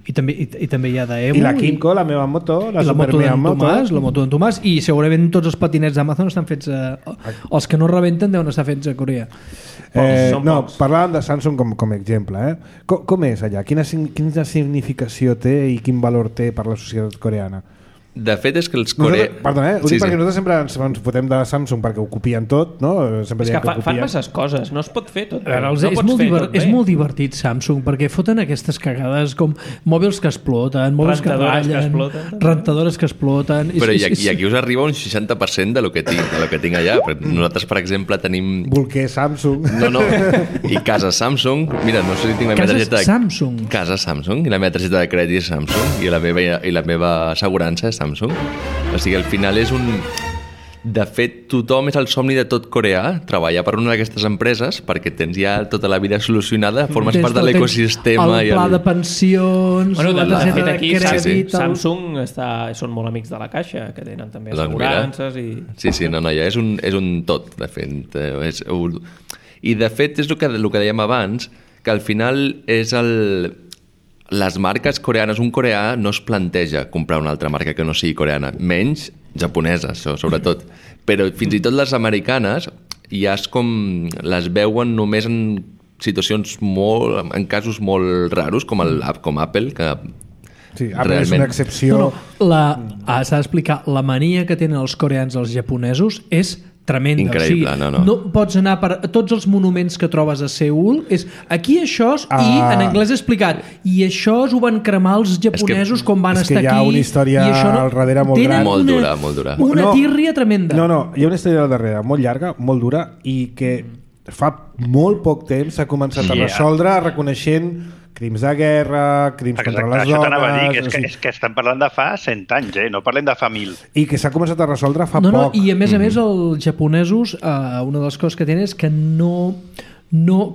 B: i també hi ha d'Evo.
A: I la Kinko, la meva moto, la
B: moto d'en Tomàs, i segurament tots els patinets d'Amazon estan fets... Els que no rebenten deuen estar fets a Corea.
A: Parlàvem de Samsung com a exemple. Com és allà? Quina significació té i quin valor té per la societat coreana?
F: De fet és que els coreans...
A: Perdona, ho dic perquè nosaltres sempre ens fotem de Samsung perquè ho copien tot, no?
D: És que fan masses coses, no es pot fer tot.
B: És molt divertit Samsung, perquè foten aquestes cagades com mòbils que exploten, mòbils que ratllen, rentadores que exploten...
F: Però i aquí us arriba un 60% de lo que tinc allà. Nosaltres, per exemple, tenim...
A: Bolquer Samsung.
F: No. I casa Samsung. Mira, no sé si tinc la meva targeta... Casa Samsung. I la meva targeta de crèdit és Samsung. I la meva assegurança és Samsung. O sigui, al final és un... De fet, tothom és el somni de tot coreà, treballar per una d'aquestes empreses perquè tens ja tota la vida solucionada, formes part de l'ecosistema.
B: El pla de pensions, la targeta de crèdit...
D: Samsung són molt amics de la Caixa, que tenen també assegurances i...
F: Sí, ja és un tot, de fet. I de fet és el que dèiem abans, que al final és les marques coreanes, un coreà no es planteja comprar una altra marca que no sigui coreana, menys japonesa, això, sobretot. Però fins i tot les americanes ja és com les veuen només en situacions en casos molt raros, com Apple, que
A: sí, Apple és una excepció.
B: S'ha d'explicar, la mania que tenen els coreans als japonesos és tremenda.
F: Increïble,
B: no pots anar per tots els monuments que trobes a Seül, és aquí això i en anglès explicat, i això ho van cremar els japonesos quan van estar aquí.
A: És que hi ha una història al darrere molt gran.
F: Molt dura.
B: Una tírria tremenda.
A: No, hi ha una història al darrere molt llarga, molt dura, i que fa molt poc temps s'ha començat a resoldre reconeixent crims de guerra, crims contra les dones...
E: Això t'anava a dir, és que estem parlant de fa 100 anys, no parlem de fa 1000.
A: I que s'ha començat a resoldre fa poc.
B: I a més els japonesos, una de les coses que tenen és que no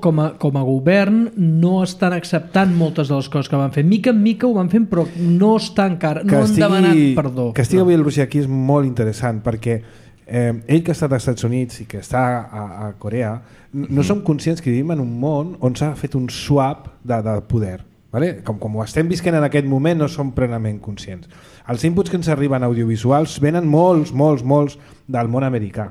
B: com a govern no estan acceptant moltes de les coses que van fer. Mica en mica ho van fent, però no està encara, no han demanat perdó.
A: Que estigui avui el Roger aquí és molt interessant, perquè ell que ha estat als Estats Units i que està a Corea, no som conscients que vivim en un món on s'ha fet un swap de poder. Vale? Com ho estem visquent en aquest moment, no som plenament conscients. Els inputs que ens arriben audiovisuals venen molts del món americà.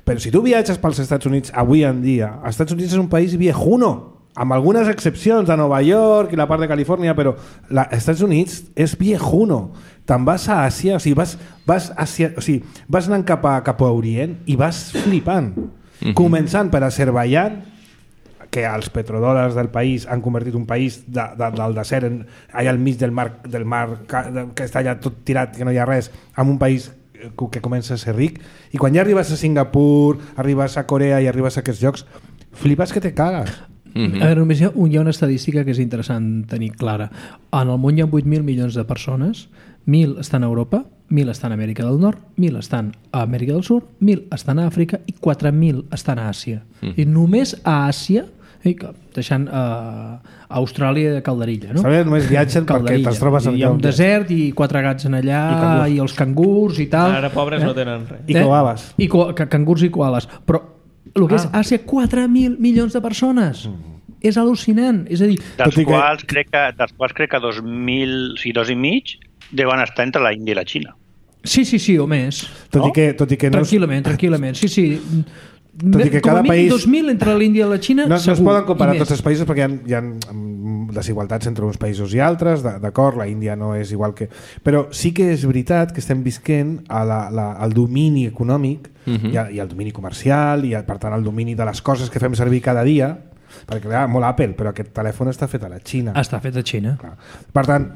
A: Però si tu viatges pels Estats Units avui en dia, els Estats Units és un país viejuno, amb algunes excepcions de Nova York i la part de Califòrnia, però els Estats Units és viejuno. Te'n vas a Àsia, o sigui, vas anant cap a Orient i vas flipant. Començant per Azerbaiyán, que els petrodòlars del país han convertit un país del desert allà al mig del mar que està allà tot tirat, que no hi ha res, en un país que comença a ser ric, i quan ja arribes a Singapur, arribes a Corea i arribes a aquests llocs, flipes que te cagues.
B: A veure, només hi ha una estadística que és interessant tenir clara. En el món hi ha 8.000 milions de persones, 1.000 estan a Europa, 1.000 estan a Amèrica del Nord, 1.000 estan a Amèrica del Sud, 1.000 estan a Àfrica i 4.000 estan a Àsia. I només a Àsia, deixant Austràlia de calderilla, no?
A: Sabeu, només viatgen perquè te'ls trobes
B: hi ha un desert i 4 gats en allà i els cangurs i tal.
D: Ara pobres no tenen res.
A: I koalas.
B: Cangurs i koalas. Però el que és Àsia, 4.000 milions de persones. És al·lucinant. És a dir,
E: dels quals crec que 2.000, sí, 2.500 deuen estar entre la Índia i la Xina.
B: Sí, o més.
A: Tot i que no...
B: Tranquil·lament. Sí.
A: Tot i que cada país...
B: 2.000 entre l'Índia i la Xina,
A: no
B: segur.
A: No es poden comparar tots els països perquè hi ha desigualtats entre uns països i altres, d'acord, la Índia no és igual que... Però sí que és veritat que estem visquent al domini econòmic i al domini comercial i per tant al domini de les coses que fem servir cada dia, perquè clar, molt Apple, però aquest telèfon està fet a la Xina.
B: Està fet a Xina. Clar.
A: Per tant...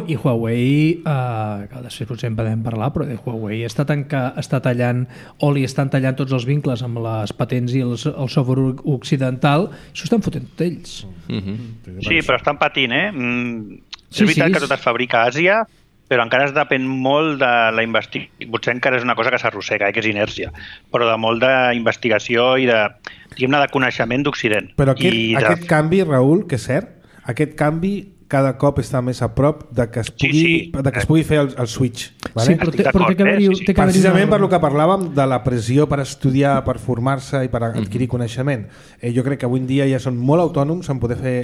B: I Huawei, que després potser en podem parlar, però Huawei està tallant, o li estan tallant tots els vincles amb les patents i el software occidental, s'ho estan fotent tot ells.
E: Sí, però estan patint, és veritat que tot es fabrica a Àsia, però encara es depèn molt de la investigació. Potser encara és una cosa que s'arrossega, que és inèrcia, però de molt d'investigació i de coneixement d'Occident.
A: Però aquest canvi, Raül, que és cert, aquest canvi cada cop està més a prop de que es pugui fer el switch. Vale?
B: Sí, però té que haver-hi...
A: Precisament per lo que parlàvem de la pressió per estudiar, per formar-se i per adquirir coneixement. Jo crec que avui en dia ja són molt autònoms en poder fer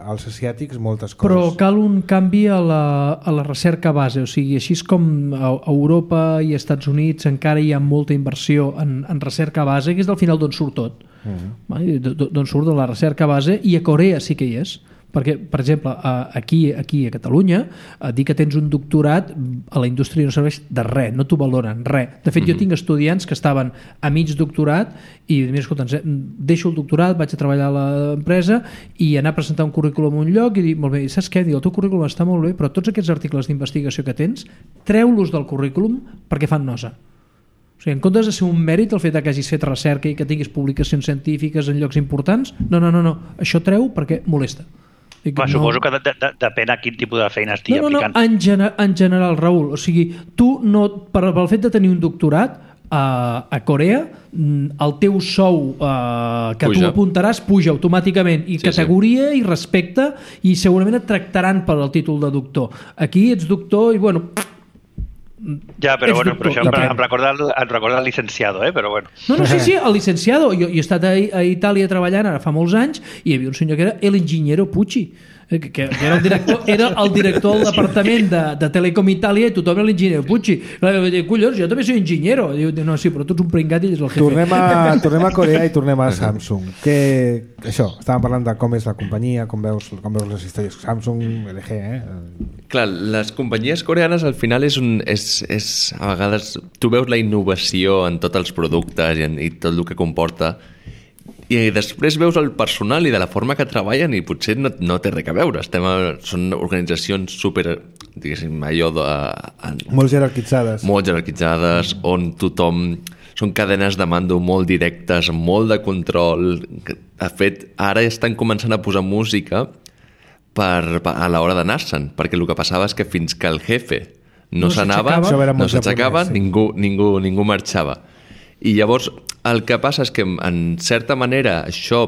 A: als asiàtics moltes coses.
B: Però cal un canvi a la recerca base, o sigui, així com a Europa i als Estats Units encara hi ha molta inversió en recerca base, que és del final d'on surt tot. D'on surt de la recerca base, i a Corea sí que hi és. Perquè, per exemple, aquí a Catalunya, dir que tens un doctorat a la indústria no serveix de res, no t'ho valoren, res. De fet, jo tinc estudiants que estaven a mig doctorat i mira, escolta, deixo el doctorat, vaig a treballar a l'empresa i anar a presentar un currículum a un lloc i dir, molt bé, saps què? Diu, el teu currículum està molt bé, però tots aquests articles d'investigació que tens, treu-los del currículum perquè fan nosa. O sigui, en comptes de ser un mèrit el fet que hagis fet recerca i que tinguis publicacions científiques en llocs importants, no, això treu perquè molesta.
E: Suposo que depèn a quin tipus de feina estigui aplicant.
B: En general, Raül, o sigui, tu pel fet de tenir un doctorat a Corea, el teu sou que tu apuntaràs puja automàticament, i categoria i respecte, i segurament et tractaran per al títol de doctor. Aquí ets doctor i bueno...
E: Ja, però això em recorda el licenciado, però bueno.
B: No, sí, el licenciado. Jo he estat a Itàlia treballant ara fa molts anys i hi havia un senyor que era el ingeniero Pucci, que era el director del departament de Telecom Itàlia, i tothom era l'ingeniero Pucci. Collons, jo també soy ingeniero. Diu, no, sí, però tu ets un pringat i ets el jefe.
A: Tornem a Corea i tornem a Samsung. Això, estàvem parlant de com és la companyia, com veus les històries Samsung, LG,
F: Clar, les companyies coreanes al final és a vegades tu veus la innovació en tots els productes i tot el que comporta, i després veus el personal i de la forma que treballen i potser no té res a veure. Són organitzacions super, diguéssim,
A: molt jerarquitzades.
F: Molt jerarquitzades, on tothom... Són cadenes de mando molt directes, amb molt de control. De fet, ara estan començant a posar música a l'hora d'anar-se'n, perquè el que passava és que fins que el jefe no s'aixecava, ningú marxava. I llavors el que passa és que en certa manera això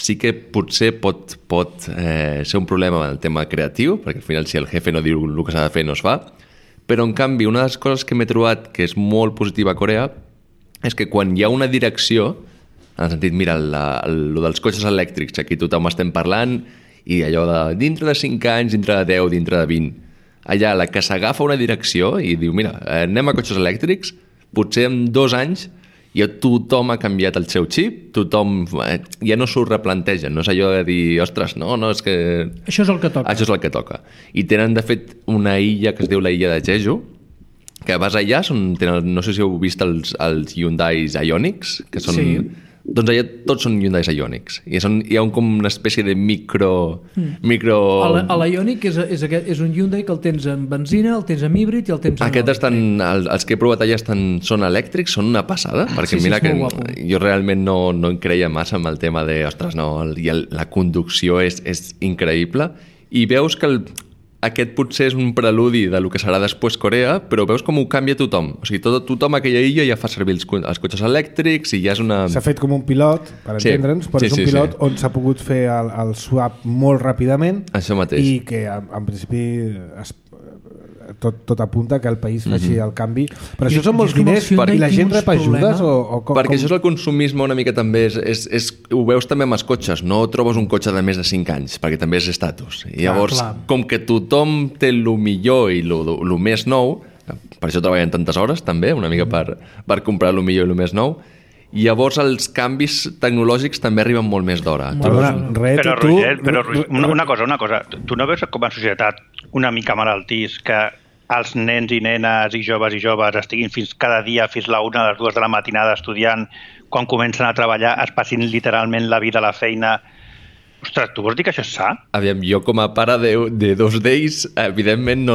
F: sí que potser pot ser un problema en el tema creatiu, perquè al final si el jefe no diu el que s'ha de fer no es fa, però en canvi una de les coses que m'he trobat que és molt positiva a Corea és que quan hi ha una direcció, en el sentit, mira, el dels cotxes elèctrics, aquí tothom estem parlant, i allò de dintre de 5 anys, dintre de 10, dintre de 20, allà la que s'agafa una direcció i diu, mira, anem a cotxes elèctrics, potser en 2 anys ja tothom ha canviat el seu xip, tothom ja no s'ho replanteja, no és allò de dir, ostres, no, és que...
B: Això és el que toca.
F: Això és el que toca. I tenen, de fet, una illa que es diu la illa de Jeju, que vas allà, no sé si heu vist els Hyundai Ioniqs, que són... Sí. Doncs allà tots són Hyundai Ioniqs. I hi ha com una espècie de micro...
B: L'Ioniq és un Hyundai que el tens en benzina, el tens en híbrid i el tens en...
F: Aquests els que he provat allà són elèctrics, són una passada, perquè mira que jo realment no em creia massa amb el tema de, ostres, no, la conducció és increïble, i veus que aquest potser és un preludi de lo que serà després Corea, però veus com ho canvia tothom. O sigui, tothom a aquella illa ja fa servir els cotxes elèctrics i ja és una...
A: S'ha fet com un pilot, per entendre'ns, però és un pilot on s'ha pogut fer el swap molt ràpidament.
F: Això mateix.
A: I que en principi tot apunta que el país faci el canvi. Però això són molts diners i la gent rep ajudes?
F: Perquè això és el consumisme una mica també. Ho veus també amb els cotxes. No trobes un cotxe de més de 5 anys, perquè també és estatus. I llavors, com que tothom té el millor i el més nou, per això treballen tantes hores també, una mica per comprar el millor i el més nou, i llavors els canvis tecnològics també arriben molt més d'hora.
E: Però Roger, una cosa. Tu no veus com a societat una mica malaltís que els nens i nenes i joves estiguin cada dia fins la 1 a les 2 de la matinada estudiant, quan comencen a treballar es passin literalment la vida a la feina? Ostres, tu vols dir que això és sa?
F: Aviam, jo com a pare de 2 d'ells, evidentment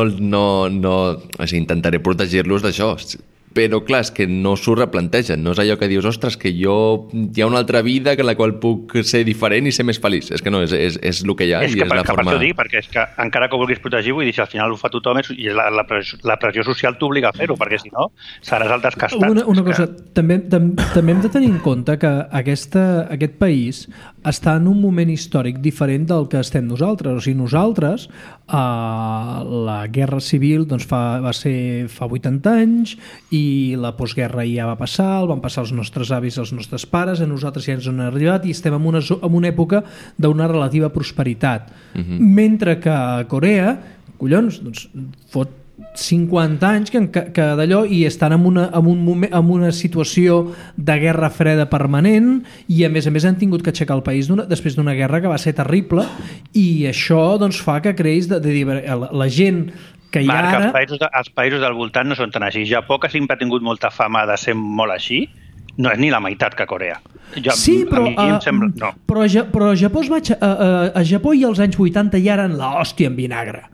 F: intentaré protegir-los d'això. Però clar, és que no s'ho replantegen, no és allò que dius, ostres, que hi ha una altra vida en la qual puc ser diferent i ser més feliç. És que no, és el que hi ha.
E: És que per això dic, perquè és que encara que ho vulguis protegir, vull dir, si al final ho fa tothom i la pressió social t'obliga a fer-ho, perquè si no seràs el descastat.
B: Una cosa, també hem de tenir en compte que aquest país està en un moment històric diferent del que estem nosaltres. O sigui, nosaltres, la guerra civil va ser fa 80 anys i la postguerra ja va passar, el van passar els nostres avis, els nostres pares, a nosaltres ja ens han arribat i estem en una època d'una relativa prosperitat. Mentre que a Corea, collons, doncs fot 50 anys que d'allò i estan en una situació de guerra freda permanent i a més han tingut que aixecar el país després d'una guerra que va ser terrible i això doncs fa que creïs la gent que hi ha ara...
E: Els països del voltant no són tan així. Japó, que sempre ha tingut molta fama de ser molt així, no és ni la meitat que Corea.
B: Però a Japó i als anys 80 ja eren l'hòstia en vinagre.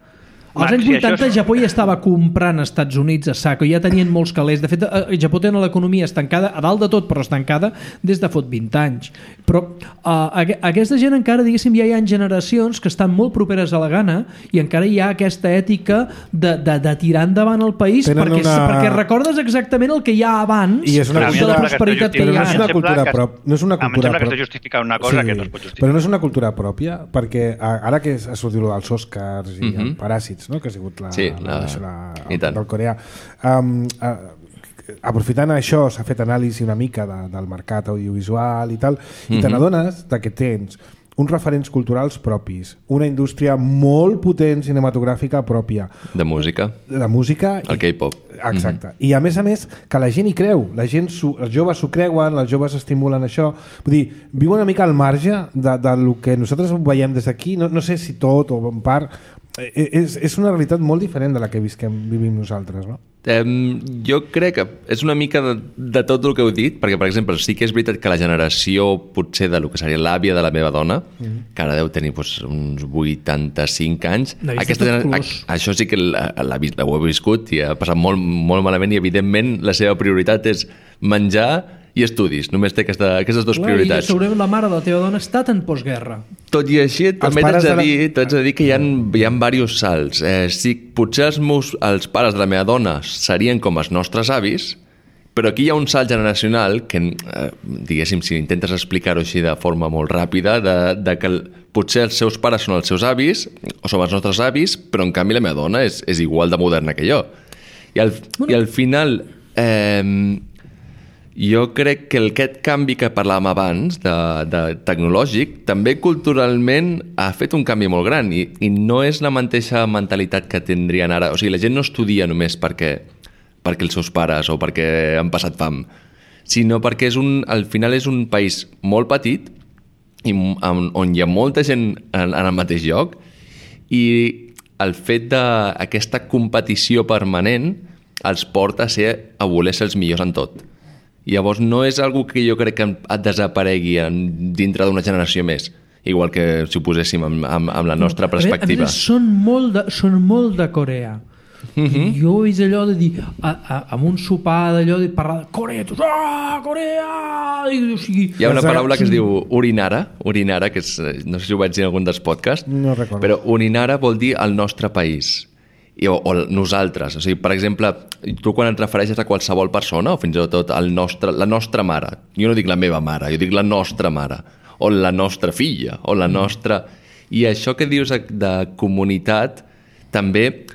B: Als anys 80 Japó ja estava comprant als Estats Units a saco, ja tenien molts calés. De fet, Japó té l'economia estancada, a dalt de tot, però estancada des de fot 20 anys. Però aquesta gent encara, diguéssim, ja hi ha generacions que estan molt properes a la gana i encara hi ha aquesta ètica de tirar endavant el país perquè recordes exactament el que hi ha abans
A: de la prosperitat que hi ha. No és una cultura pròpia.
E: Em sembla que està justificant una cosa que no es pot justificar.
A: Però no és una cultura pròpia, perquè ara que ha sortit els Oscars i els Paràsits, no? Que ha sigut del coreà. Aprofitant això, s'ha fet anàlisi una mica del mercat audiovisual i tal, i te n'adones que tens uns referents culturals propis, una indústria molt potent cinematogràfica pròpia.
F: De música.
A: El
F: K-pop.
A: Exacte. I a més, que la gent hi creu. Els joves s'ho creuen, els joves estimulen això. Vull dir, viu una mica al marge del que nosaltres veiem des d'aquí. No sé si tot o en part... És una realitat molt diferent de la que vivim nosaltres, no?
F: Jo crec que és una mica de tot el que heu dit, perquè, per exemple, sí que és veritat que la generació potser de lo que seria l'àvia de la meva dona, que ara deu tenir uns 85 anys, això sí que ho he viscut i ha passat molt, molt malament i, evidentment, la seva prioritat és menjar i estudis, només té aquestes dues prioritats.
B: I segurament la mare de la teva dona ha estat en postguerra.
F: Tot i així, també t'haig de dir que hi ha diversos salts. Potser els pares de la meva dona serien com els nostres avis, però aquí hi ha un salt generacional que, diguéssim, si intentes explicar-ho així de forma molt ràpida, de que potser els seus pares són els seus avis, o som els nostres avis, però en canvi la meva dona és igual de moderna que jo. I al final... Jo crec que aquest canvi que parlàvem abans, de tecnològic, també culturalment ha fet un canvi molt gran i no és la mateixa mentalitat que tindrien ara. O sigui, la gent no estudia només perquè els seus pares o perquè han passat fam, sinó perquè al final és un país molt petit on hi ha molta gent en el mateix lloc i el fet d'aquesta competició permanent els porta a voler ser els millors en tot. Llavors no és algo que jo crec que desaparegui dintre d'una generació més, igual que si ho poséssim amb la nostra perspectiva.
B: Són molt de Corea. I jo he vist allò de dir, amb un sopar d'allò, de parlar de Corea, tots, Corea! O sigui,
F: hi ha una paraula que es diu urinara, que és, no sé si ho vaig dir en algun dels podcasts,
A: no recordo. Però
F: urinara vol dir el nostre país. O nosaltres, o sigui, per exemple, tu quan et refereixes a qualsevol persona o fins i tot la nostra mare, jo no dic la meva mare, jo dic la nostra mare o la nostra filla o la nostra... I això que dius de comunitat també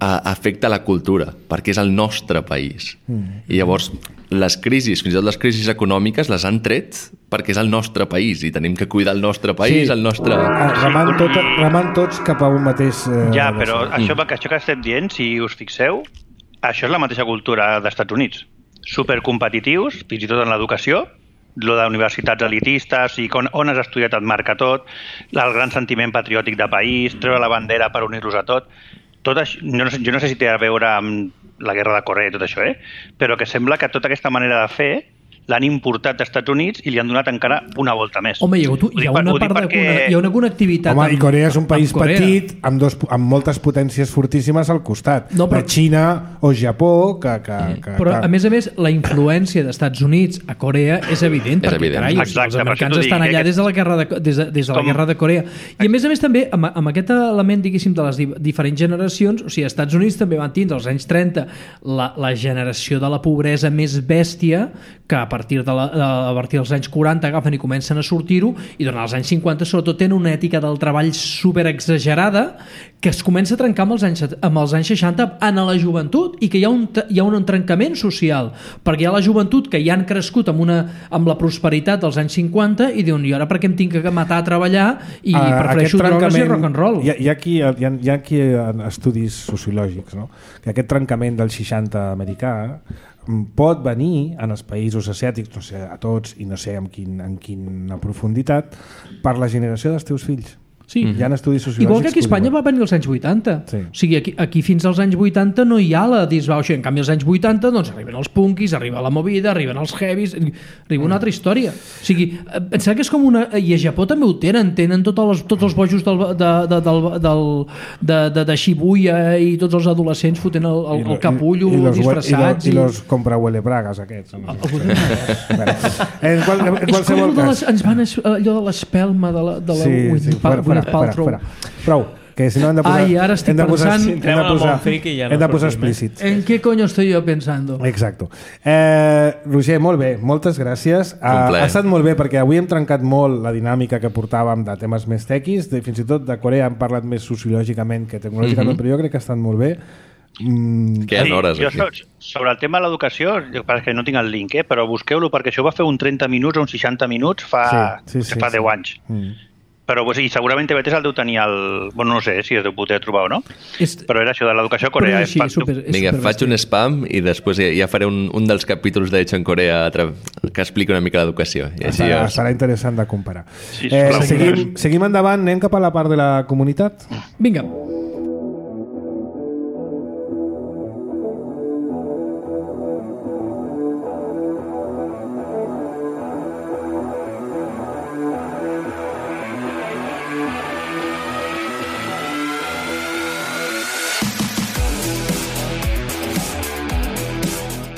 F: afecta la cultura, perquè és el nostre país. I llavors les crisis, fins i tot les crisis econòmiques, les han tret perquè és el nostre país i tenim que cuidar el nostre país, el nostre...
A: Remant tots cap a un mateix...
E: Ja, però això que estem dient, si us fixeu, això és la mateixa cultura dels Estats Units. Supercompetitius, fins i tot en l'educació, lo d'universitats elitistes i on has estudiat et marca tot, el gran sentiment patriòtic de país, treure la bandera per unir-los a tot. Tot això, jo no sé si té a veure amb la guerra de Corea i tot això, però que sembla que tota aquesta manera de fer l'han importat dels Estats Units i li han donat encara una volta més.
B: Home, hi ha una connectivitat...
A: Home, i Corea és un país petit amb moltes potències fortíssimes al costat.
B: No, però...
A: Xina o Japó...
B: Però, a més, la influència dels Estats Units a Corea és evident, perquè, carai, els americans estan allà des de la guerra de Corea. I, a més, també, amb aquest element, diguéssim, de les diferents generacions, o sigui, als Estats Units també van tindre, als anys 30, la generació de la pobresa més bèstia, que a partir dels anys 40 agafen i comencen a sortir-ho, i durant els anys 50 sobretot tenen una ètica del treball superexagerada que es comença a trencar amb els anys 60 en la joventut, i que hi ha un trencament social, perquè hi ha la joventut que ja han crescut amb la prosperitat dels anys 50 i diuen, i ara per què em tinc que matar a treballar i prefereixo drogues i rock and roll?
A: Hi ha aquí estudis sociològics, no? Que aquest trencament del 60 americà pot venir en els països asiàtics, no sé, a tots, i no sé en quina profunditat, per la generació dels teus fills.
B: Sí.
A: Hi ha estudis sociològics.
B: Igual que aquí a Espanya va venir als anys 80.
A: Sí.
B: O sigui, aquí fins als anys 80 no hi ha la disbauxa. En canvi, als anys 80 doncs, arriben els punkis, arriba la movida, arriben els heavies, arriba una altra història. O sigui, pensar que és com una... I a Japó també ho tenen tots els bojos de Shibuya i tots els adolescents fotent el capullo disfressats.
A: I los compra-huele bragas aquests. En qualsevol cas...
B: Ens van allò de l'espelma de la
A: fora. Prou, que si no hem de posar...
B: Ai, ara estic pensant...
A: Hem de posar explícits.
B: ¿En qué coño estoy yo pensando?
A: Exacto. Roger, molt bé, moltes gràcies. Ha estat molt bé perquè avui hem trencat molt la dinàmica que portàvem de temes més tequis, fins i tot de Corea hem parlat més sociològicament que tecnològicament, però jo crec que ha estat molt bé.
F: Queden hores aquí.
E: Sobre el tema de l'educació, perquè no tinc el link, però busqueu-lo, perquè això va fer un 30 minuts o un 60 minuts fa 10 anys. Però i segurament TV3 el deu tenir no sé si es deu poder trobar o no, però era això de l'educació a Corea.
F: Vinga, faig un spam i després ja faré un dels capítols d'Hecho en Corea que explica una mica l'educació.
A: Serà interessant de comparar. Seguim endavant, anem cap a la part de la comunitat.
B: Vinga.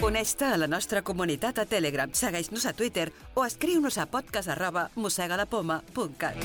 C: Uneix-te a la nostra comunitat a Telegram, segueix-nos a Twitter o escriu-nos a podcast@mossegalapoma.cat.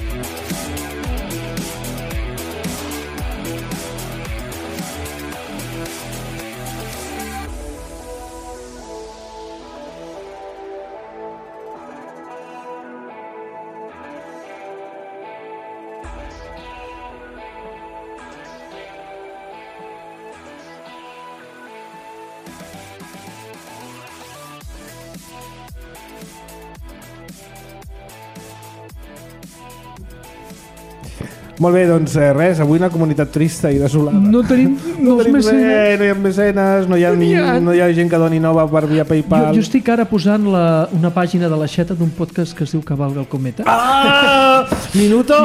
A: Molt bé, doncs res, avui una comunitat trista i desolada.
B: No tenim
A: mecenes. No hi ha mecenes, no hi ha gent que doni nova per via PayPal.
B: Jo estic ara posant una pàgina de l'aixeta d'un podcast que es diu Cavalga el Cometa.
A: Minuto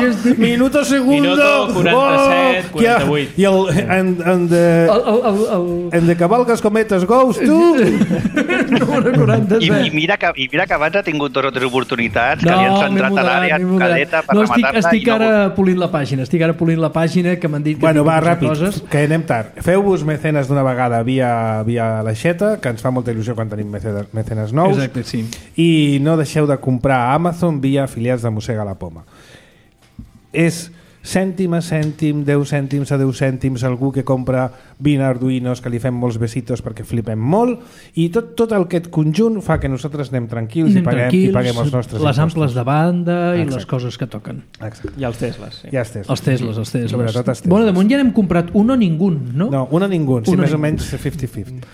A: segundo.
D: Minuto 47, 48.
A: I el de Cavalgas Cometes Ghost, tu?
E: I mira que abans ha tingut 2 o 3 oportunitats que li han centrat a l'àrea caleta per rematar-la.
B: Estic ara polint la pàgina. pàgina. Estic ara polint la pàgina que m'han dit que...
A: Bueno, va, ràpid, que anem tard. Feu-vos mecenes d'una vegada via l'aixeta, que ens fa molta il·lusió quan tenim mecenes nous.
B: Exacte, sí.
A: I no deixeu de comprar a Amazon via afiliats de Mossega la Poma. És cèntim a cèntim, 10 cèntims a 10 cèntims, algú que compra 20 arduïnos que li fem molts besitos perquè flipem molt, i tot aquest conjunt fa que nosaltres anem tranquils i paguem els nostres
B: les amples de banda i
A: Exacte.
B: les coses que toquen.
A: Exacte.
D: I els Tesles, sí.
A: I els Tesles.
B: Els Tesles.
A: Sobretot els Tesles.
B: Bueno, de moment ja n'hem comprat un o ningú, no?
A: No, un o ningú, sí,
B: Un o
A: més o
B: ningú.
A: menys 50-50.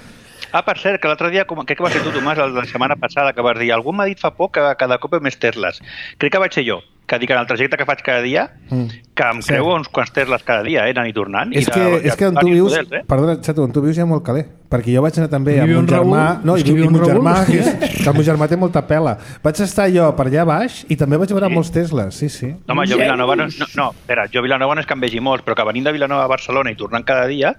E: Per cert, que l'altre dia, crec que va ser tu, Tomàs, la setmana passada, que vas dir, algú m'ha dit fa poc que cada cop hi ha més Tesles. Crec que vaig ser jo, que dic en el trajecte que faig cada dia, que em creu uns quants Tesles cada dia, anant i tornant.
A: És que on tu vius, perdona, Xato, on tu vius hi ha molt caler, perquè jo vaig anar també amb un germà, no, i un germà, que el meu germà té molta pela. Vaig estar jo per allà baix i també vaig veure molts Tesles, sí.
E: No, home, jo a Vilanova jo a Vilanova no és que en vegi molts, però que venint de Vilanova a Barcelona i tornant cada dia,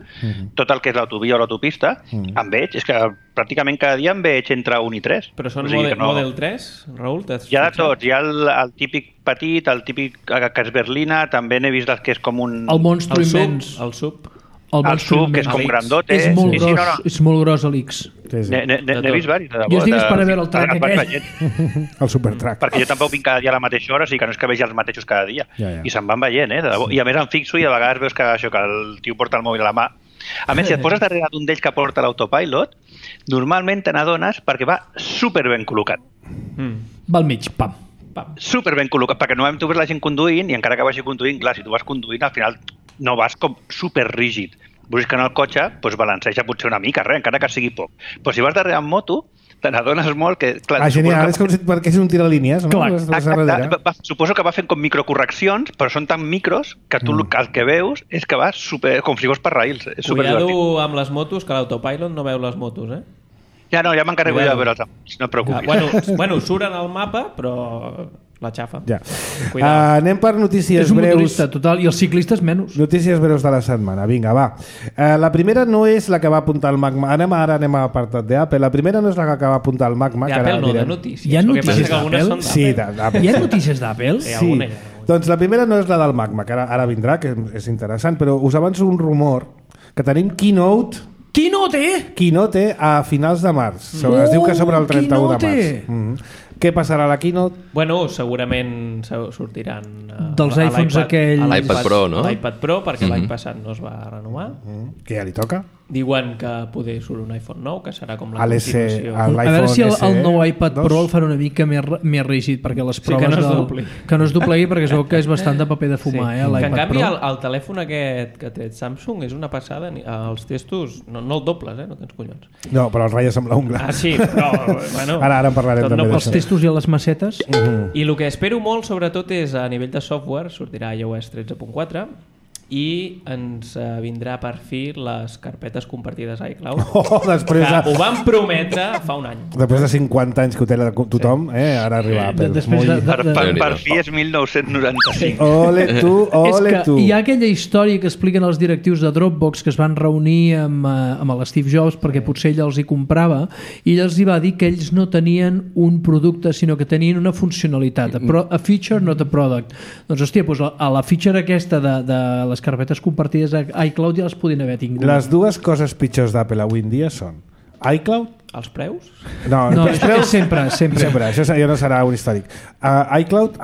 E: tot el que és l'autovia o l'autopista, en veig, és que pràcticament cada dia en veig entre 1 i 3.
D: Però són Model 3, Raül?
E: Hi ha de tots, hi ha el típic petit, el típic que és berlina, també n'he vist el que és com un...
B: El Monstro immens.
D: El sub.
E: El sub, que és com grandote.
B: És molt gros, és molt gros l'X.
E: N'he vist diversos.
B: Jo estic esperant a veure el track aquell.
A: El supertrack.
E: Perquè jo tampoc vinc cada dia a la mateixa hora, o sigui que no és que vegi els mateixos cada dia. I se'n van veient, de debò. I a més em fixo i a vegades veus que el tio porta el mòbil a la mà. A més, si et poses darrere d'un d'ells que porta l'autopilot, normalment te n'adones perquè va super ben col·locat.
B: Va al mig, pam.
E: Super ben col·locat, perquè normalment tu ves la gent conduint i encara que vagi conduint, clar, si tu vas conduint al final no vas com super rígid. Veus que en el cotxe balanceja potser una mica, encara que sigui poc. Però si vas darrere en moto, te n'adones molt que... Clar,
A: genial, és com si perquè és un tiralínies, no?
E: Clar, suposo que va fent com microcorreccions, però són tan micros que tu el que veus és que va super, com si fos per raïls.
D: Cuidado amb les motos, que l'autopilot no veu les motos, eh?
E: Ja m'encarrego de veure els apunts, no et preocupis.
D: Bueno, suren al mapa, però la xafa.
A: Ja. Anem per notícies breus.
B: És un motorista, total, i els ciclistes menys.
A: Notícies breus de la setmana, vinga, va. La primera no és la que va apuntar el Magma. Anem a apartat d'Apple. La primera no és la que va apuntar el Magma.
D: D'Apple no, de notícies.
B: Hi ha notícies d'Apple?
A: Sí, d'Apple.
B: Hi ha notícies d'Apple?
A: Sí. Doncs la primera no és la del Magma, que ara vindrà, que és interessant, però us avanço un rumor que tenim Keynote a finals de març. Es diu que sobre el 31 de març. Què passarà a la Keynote?
D: Bueno, segurament sortiran
B: dels iPhones aquells...
F: L'iPad Pro, no?
D: L'iPad Pro, perquè l'any passat no es va renovar.
A: Que ja li toca.
D: Diuen que poder surt un iPhone nou, que serà com la
A: continuació.
B: A veure si el nou iPad Pro el fan una mica més rígid, perquè les proves... Que no es doblegui, perquè es veu que és bastant de paper de fumar, l'iPad Pro.
D: Que en canvi el telèfon aquest que té Samsung és una passada. Els testos no el dobles, no tens collons.
A: No, però el ratlla sembla un gra.
D: Ah, sí, però... Bueno,
A: ara en parlarem també d'això.
B: Els testos i les macetes.
D: I el que espero molt, sobretot, és a nivell de software, sortirà iOS 13.4, i ens vindrà per fi les carpetes compartides a iCloud,
A: després
D: que ho van prometre fa un any.
A: Després de 50 anys que ho té tothom, ara arriba Apple.
E: Per fi és 1995.
A: Ole tu.
B: Hi ha aquella història que expliquen els directius de Dropbox que es van reunir amb l'Steve Jobs perquè potser ell els hi comprava, i ell els hi va dir que ells no tenien un producte, sinó que tenien una funcionalitat, a feature, not a product. Doncs hòstia, a la feature aquesta de les carpetes compartides a iCloud ja les podien haver tingut.
A: Les dues coses pitjors d'Apple avui en dia són iCloud...
D: Els preus?
A: No,
B: els preus sempre.
A: Això ja no serà un històric. iCloud,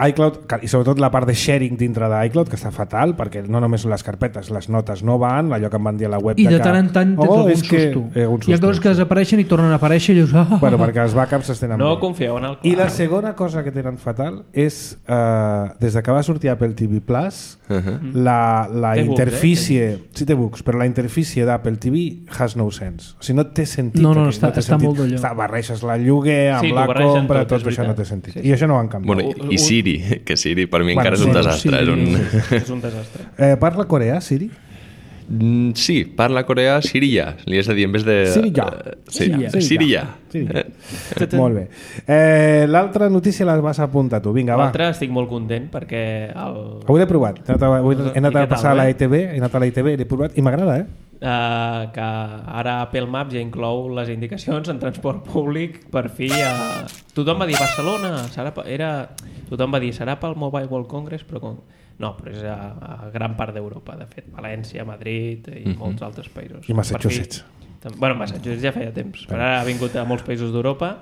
A: i sobretot la part de sharing dintre d'iCloud, que està fatal, perquè no només són les carpetes, les notes no van, allò que em van dir a la web...
B: I de tant en tant tens algun susto. Hi ha coses que desapareixen i tornen a aparèixer i dius...
A: Bueno, perquè els backups es tenen
D: no confieu en el cloud.
A: I la segona cosa que tenen fatal és, des que va sortir Apple TV Plus, la interfície... Sí, té bugs, però la interfície d'Apple TV has no sense. O sigui, no té sentit.
B: No, està molt d'allò.
A: Barreixes la lloguer amb la compra, tot això no té sentit. I això no ho han canviat.
F: Bueno, i Siri, que Siri per mi encara és un desastre.
D: És un desastre.
A: Parla coreà, Siri?
F: Sí, parla coreà Siriya. Li has de dir en vez de... Siriya.
A: Molt bé. L'altra notícia la vas apuntar tu. Vinga, va.
D: L'altra estic molt content perquè...
A: Avui l'he provat. He anat a passar a l'ETV, l'he provat i m'agrada,
D: que ara Apple Maps ja inclou les indicacions en transport públic. Per fi tothom va dir Barcelona tothom va dir serà pel Mobile World Congress, però No, però és a gran part d'Europa, de fet. València, Madrid i molts altres països.
A: I Massachusetts.
D: Bueno, Massachusetts ja feia temps, però ara ha vingut a molts països d'Europa.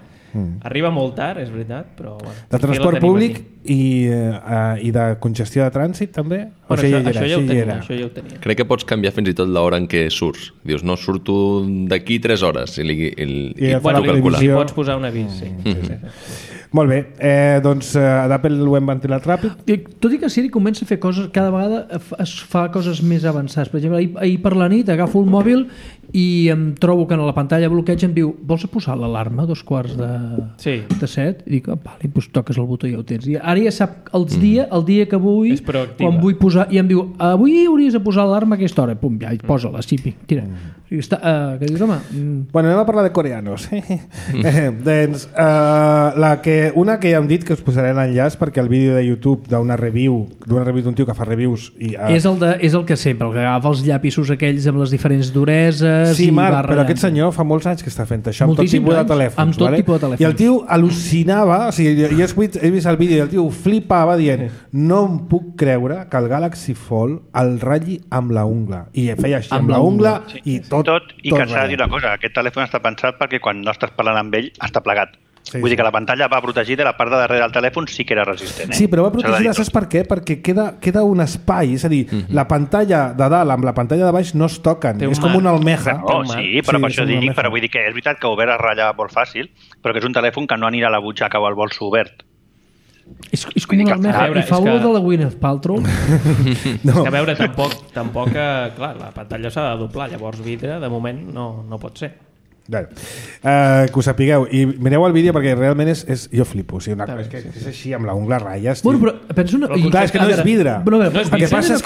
D: Arriba molt tard, és veritat, però... Bueno,
A: de transport públic i de congestió de trànsit, també?
D: Bueno, això ja ho tenia.
F: Crec que pots canviar fins i tot l'hora en què surts. Dius, no, surto d'aquí 3 hores i
D: bueno, li pots posar un avís, sí.
A: Molt bé, doncs d'Apple ho hem ventilat ràpid.
B: Tot i que Siri comença a fer coses, cada vegada es fa coses més avançades. Per exemple, ahir per la nit agafo el mòbil i em trobo que a la pantalla bloqueig em diu, vols posar l'alarma a 6:45? I dic, vale, doncs toques el botó i ja ho tens. I ara ja sap el dia que vull, quan vull posar, i em diu, avui hauries de posar l'alarma a aquesta hora. Pum, ja, posa-la, sí, tira. Què dius, home?
A: Bueno, anem a parlar de coreanos. Doncs, una que ja hem dit que us posaré l'enllaç perquè el vídeo de YouTube d'una review d'un tio que fa reviews
B: és el que sempre, el que agafa els llapisos aquells amb les diferents dureses.
A: Sí, Marc, però aquest senyor fa molts anys que està fent això amb tot tipus de telèfons.
B: Amb tot tipus de telèfons.
A: I el tio al·lucinava, o sigui, jo he vist el vídeo i el tio flipava dient, no em puc creure que el Galaxy Fold el ratlli amb la ungla. I feia així amb la ungla i tot.
E: I que s'ha de dir una cosa, aquest telèfon està pensat perquè quan no estàs parlant amb ell està plegat. Vull dir que la pantalla va protegida i la part de darrere del telèfon sí que era resistent.
A: Sí, però va protegida, saps per què? Perquè queda un espai, és a dir, la pantalla de dalt amb la pantalla de baix no es toquen, és com una almeja.
E: Sí, però per això dic, però vull dir que és veritat que obert es ratlla molt fàcil, però que és un telèfon que no anirà a la butxaca o al bolso obert.
B: És com una almeja, i fa olor de la Gwyneth Paltrow.
D: És que a veure, tampoc clar, la pantalla s'ha de doblar, llavors vidre de moment no pot ser.
A: Que ho sapigueu i mireu el vídeo perquè realment jo flipo, és així amb la ungla a ratlles.
B: Bueno, però penso
A: clar, és que no és vidre.
B: El que passa és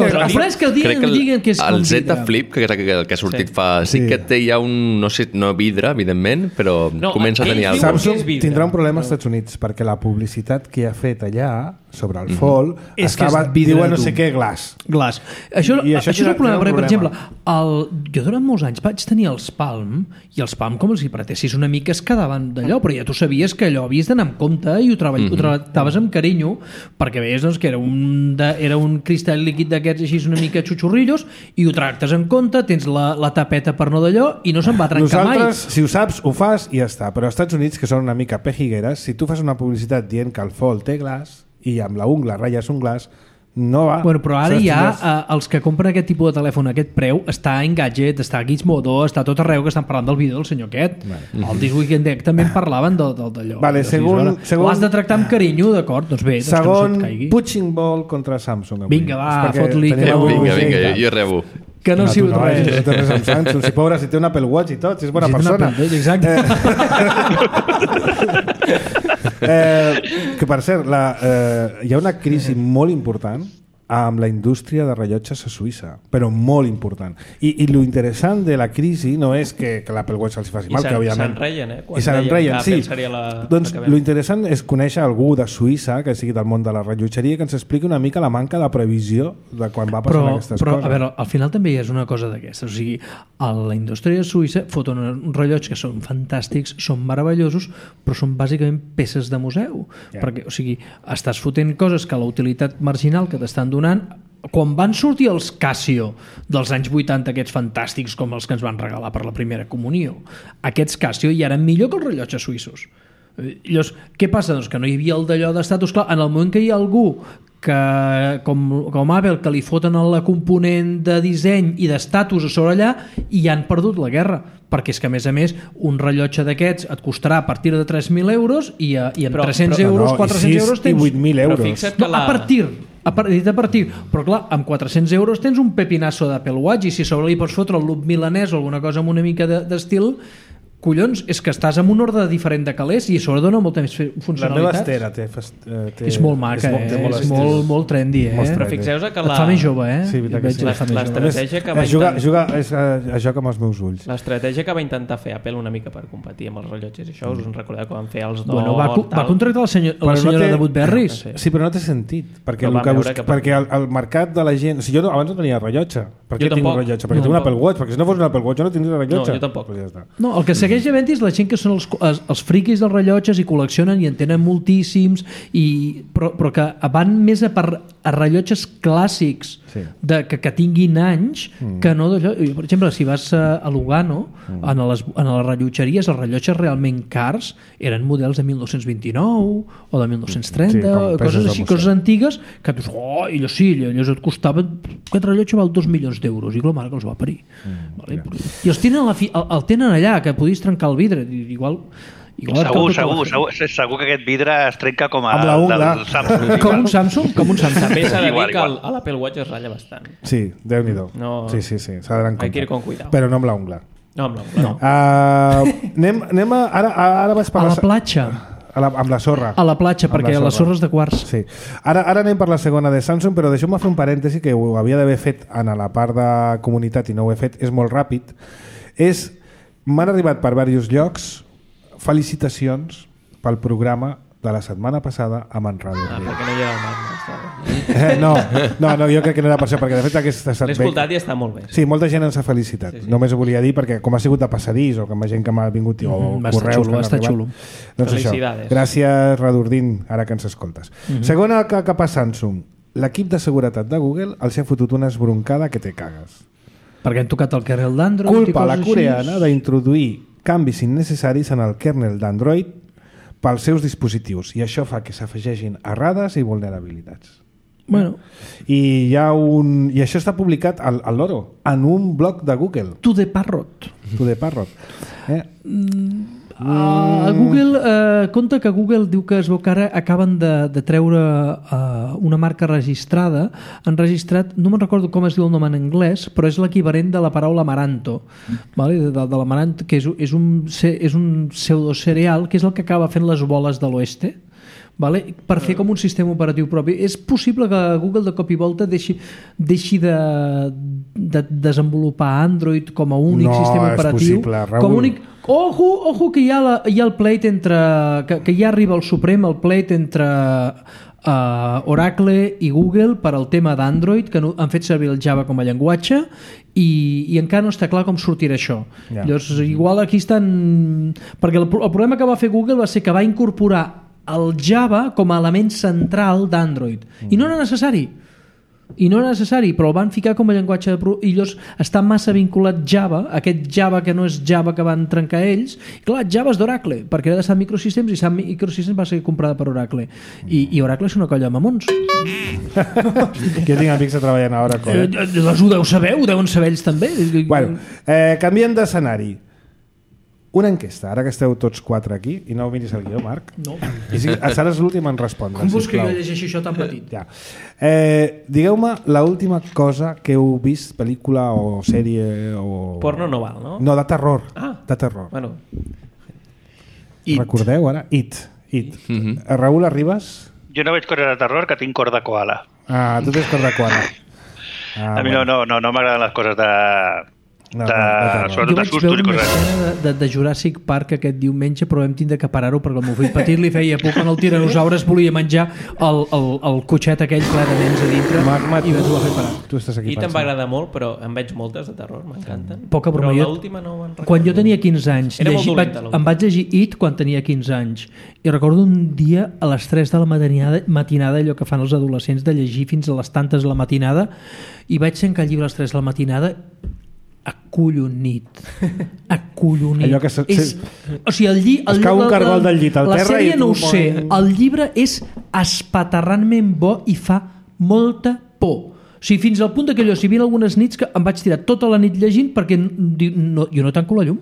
B: que el dia que diguen que és
F: el Z Flip que ha sortit fa sí que té ja un, no sé, no vidre evidentment, però comença a tenir alguna cosa.
A: Samsung tindrà un problema als Estats Units perquè la publicitat que ha fet allà sobre el Fold diu no sé què glaç.
B: Això és un problema perquè, per exemple, jo durant molts anys vaig tenir els Palm i els Palm com els hi pretessis una mica es quedaven d'allò, però ja tu sabies que allò havies d'anar amb compte i ho tractaves amb carinyo perquè veies doncs, que era un cristall líquid d'aquests així una mica xuxurrillos i ho tractes en compte, tens la tapeta per no d'allò i no se'n va trencar mai.
A: Nosaltres, si ho saps, ho fas i ja està, però als Estats Units, que són una mica pejigueres, si tu fas una publicitat dient que el Fold té glaç i amb la ungla ratlles un glaç, no va.
B: Bueno, però ara ja els que compren aquest tipus de telèfon a aquest preu està en Gadget, està a Gizmodo, està tot arreu que estan parlant del vídeo del senyor aquest. El This Week in Tech també en parlaven d'allò.
A: Vale, segon...
B: Ho has de tractar amb carinyo, d'acord? Doncs bé,
A: segon, punching ball contra Samsung.
B: Vinga, va, fot-li.
F: Vinga, jo rebo.
B: Que no sigut res.
A: No té res amb Samsung. Si pobra, si té un Apple Watch i tot, si és bona persona.
B: Exacte.
A: Que per cert, hi ha una crisi molt important amb la indústria de rellotges a Suïssa, però molt important. I lo interessant de la crisi no és que l'Apple Watch se'ls faci mal, que òbviament...
D: I
A: s'enreien, sí. Doncs lo interessant és conèixer algú de Suïssa, que sigui del món de la rellotgeria, que ens expliqui una mica la manca de previsió de quan va passar aquestes coses.
B: Però, a veure, al final també hi és una cosa d'aquestes. O sigui, a la indústria suïssa foten uns rellotges que són fantàstics, són meravellosos, però són bàsicament peces de museu. Perquè, o sigui, estàs fotent coses que la utilitat marginal que t'estan donant. Quan van sortir els Casio dels anys 80, aquests fantàstics com els que ens van regalar per la primera comunió, aquests Casio ja eren millor que els rellotges suïssos. Llavors, què passa? Doncs que no hi havia el d'allò d'estatus. Clar, en el moment que hi ha algú que, com Apple, que li foten la component de disseny i d'estatus a sobre allà, i han perdut la guerra, perquè és que a més un rellotge d'aquests et costarà a partir de 3.000 euros i amb 300 euros, 400 euros tens...
A: 8.000 euros.
B: A partir, però clar, amb 400 euros tens un pepinasso d'Apple Watch i si sobre li pots fotre el loop milanès o alguna cosa amb una mica d'estil, collons, és que estàs amb un ordre diferent de calés i a sobre dona molta més funcionalitat.
A: La meva Estera té...
B: És molt maca, és molt trendy,
D: Però fixeu-vos que
B: et fa més jove,
A: Sí,
D: l'estratègia que va
A: joc amb els meus ulls.
D: L'estratègia que va intentar fer Apple una mica per competir amb els rellotges i això, us en recordeu que van fer els
B: Bueno, va contractar la senyora de Woodberries.
A: Sí, però no té sentit, perquè el mercat de la gent... Jo abans no tenia rellotge. Per què tinc un rellotge? Perquè tinc un Apple Watch, perquè si no fos un Apple Watch jo no tindria rellotge.
D: No, jo tampoc.
B: No, el que segueix havent és la gent que són els friquis dels rellotges i col·leccionen i en tenen moltíssims, però que van més a per rellotges clàssics que tinguin anys, que no d'allò. Per exemple, si vas a Lugano, a les rellotgeries, els rellotges realment cars eren models de 1929 o de 1930, coses així, coses antigues, que tu i allò et costava, aquest rellotge val 2 milions d'euros, i la mare que els va parir. I els tenen allà, que podies trencar el vidre, igual
E: Segur que aquest vidre es trenca com
A: amb la ungla.
B: Com un Samsung?
D: També s'ha de dir que l'Apple Watch es ratlla bastant.
A: Sí, Déu-n'hi-do. Sí, s'ha d'anar en compte.
D: Hay que ir con cuidado.
A: Però no amb la ungla.
D: No amb la ungla.
A: Anem a... Ara vaig per
B: a la platja.
A: Amb la sorra.
B: A la platja, perquè la sorra és de quars.
A: Sí. Ara anem per la segona de Samsung, però deixeu-me fer un parèntesi que ho havia d'haver fet en la part de comunitat i no ho he fet, és molt ràpid. M'han arribat per diversos llocs felicitacions pel programa de la setmana passada a Manrado.
D: Perquè no hi ha el
A: Magma. No, jo crec que no era per això, perquè de fet aquesta
D: l'he escoltat i està molt bé.
A: Sí, molta gent ens ha felicitat. Sí. Només ho volia dir perquè com ha sigut de passadís o com ha gent que m'ha vingut o correus que han arribat.
B: Xulo.
A: Doncs això. Gràcies, Radordín, ara que ens escoltes. Segona cap a Samsung. L'equip de seguretat de Google els ha fotut una esbroncada que te cagues.
B: Perquè han tocat el kernel d'Android.
A: Culpa a la coreana d'introduir canvis innecessaris en el kernel d'Android pels seus dispositius i això fa que s'afegeixin errades i vulnerabilitats.
B: Bueno.
A: I això està publicat al loro, en un blog de Google.
B: To the Parrot. Google, compte que Google diu que es veu que ara acaben de treure una marca registrada. Han registrat, no me'n recordo com es diu el nom en anglès, però és l'equivalent de la paraula amaranto, vale? de l'amaranto, que és un pseudocereal, que és el que acaba fent les boles de l'oeste, vale? Per fer com un sistema operatiu propi. És possible que Google de cop i volta deixi de desenvolupar Android com a únic sistema operatiu.
A: No, és possible, Raül.
B: Com únic... Ojo que hi ha el pleit entre... que ja arriba al Suprem el pleit entre Oracle i Google per al tema d'Android, que han fet servir el Java com a llenguatge i encara no està clar com sortirà això. Llavors, igual aquí estan... Perquè el problema que va fer Google va ser que va incorporar el Java com a element central d'Android. I no era necessari, però el van ficar com a llenguatge i llavors està massa vinculat Java, aquest Java que no és Java que van trencar ells. I clar, Java és d'Oracle, perquè era de Sun Microsystems i Sun Microsystems va ser comprada per Oracle. I Oracle és una colla de mamons.
A: Que tinc amics que treballen a Oracle.
B: Doncs ho deuen saber ells també.
A: Bueno, canviem d'escenari. Una enquesta, ara que esteu tots 4 aquí, i no miris el guió, Marc.
B: No.
A: I seràs l'últim en respondre.
B: Com vols que jo llegeixi això tan petit?
A: Ja. Digueu-me l'última cosa que heu vist, pel·lícula o sèrie o...
D: Porno no val, no?
A: No, de terror. De terror.
D: Bueno.
A: Recordeu ara? It. Raül, arribes?
E: Jo no veig coses de terror, que tinc cor de koala.
A: Tu tens cor de koala.
E: A mi no m'agraden les coses de...
B: sobretot de sustos i coses. Jo vaig veure de Jurassic Park aquest diumenge, però vam tindre que parar-ho perquè el meu fill petit li feia por quan el tiranosaures volia menjar el cotxet aquell ple de dents a dintre.
A: Magma,
B: i ho va fer parar.
A: Tu estàs aquí.
D: I te'n va agradar molt, però en veig moltes de terror, m'encanten.
B: Poca broma.
D: Però l'última no me'n recordo.
B: Quan jo tenia 15 anys, em vaig llegir It quan tenia 15 anys. I recordo un dia a les 3 de la matinada, allò que fan els adolescents de llegir fins a les tantes de la matinada, i vaig tancar el llibre a les 3 de la matinada acollonit.
A: Allò que
B: o sigui,
A: es cau un cargol del llit al terra.
B: La sèrie no ho sé, el llibre és espaterrantment bo i fa molta por. O sigui, fins al punt que allò, si hi havia algunes nits que em vaig tirar tota la nit llegint perquè jo no tanco la llum.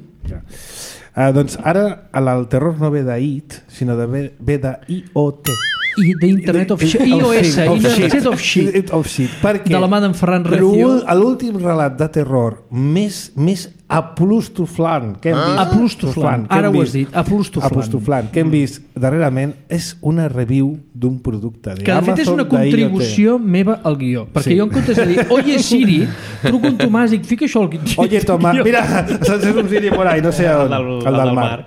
A: Doncs ara el terror no ve d'IT, sinó ve d'IoT.
B: I d'Internet of Shit. iOS, Internet of Shit.
A: Perquè
B: de la mà d'en Ferran Recio.
A: L'últim relat de terror més aplustoflant que hem vist...
B: Aplustoflant, ara ho has dit,
A: aplustoflant, que hem vist darrerament és una review d'un producte d'Amazon.
B: Que de fet és una contribució meva al guió, perquè jo en comptes de dir oye Siri, truco un Tomàs i fica això al guió.
A: Oye Tomàs, mira, se'ns és un Siri por ahí, no sé on, el del mar.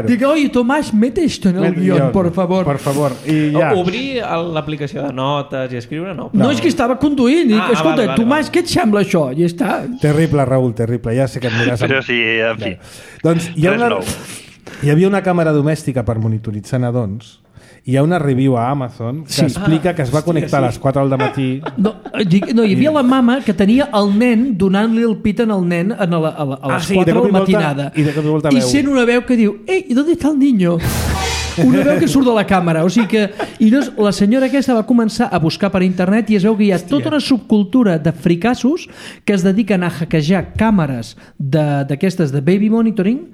B: Dic, oye Tomàs, mete esto en el guió, por favor.
A: Por favor. I ja.
D: Obrir l'aplicació de notes i escriure, no.
B: No, és que estava conduint i dic, escolta, Tomàs, què et sembla això? I està.
A: Terrible, Raül, terrible. Ja sé que et miràs...
E: Però sí, en fi.
A: Doncs hi havia una càmera domèstica per monitoritzar nadons hi ha una review a Amazon que explica que es va connectar a les 4 del matí.
B: No, hi havia la mama que tenia el nen donant-li el pit al nen a les 4 de la matinada. I sent una veu que diu: «Ei, ¿dónde está el niño?» Una veu que surt de la càmera, o sigui que... I llavors la senyora aquesta va començar a buscar per internet i es veu que hi ha tota una subcultura de fricassos que es dediquen a hackejar càmeres d'aquestes de baby monitoring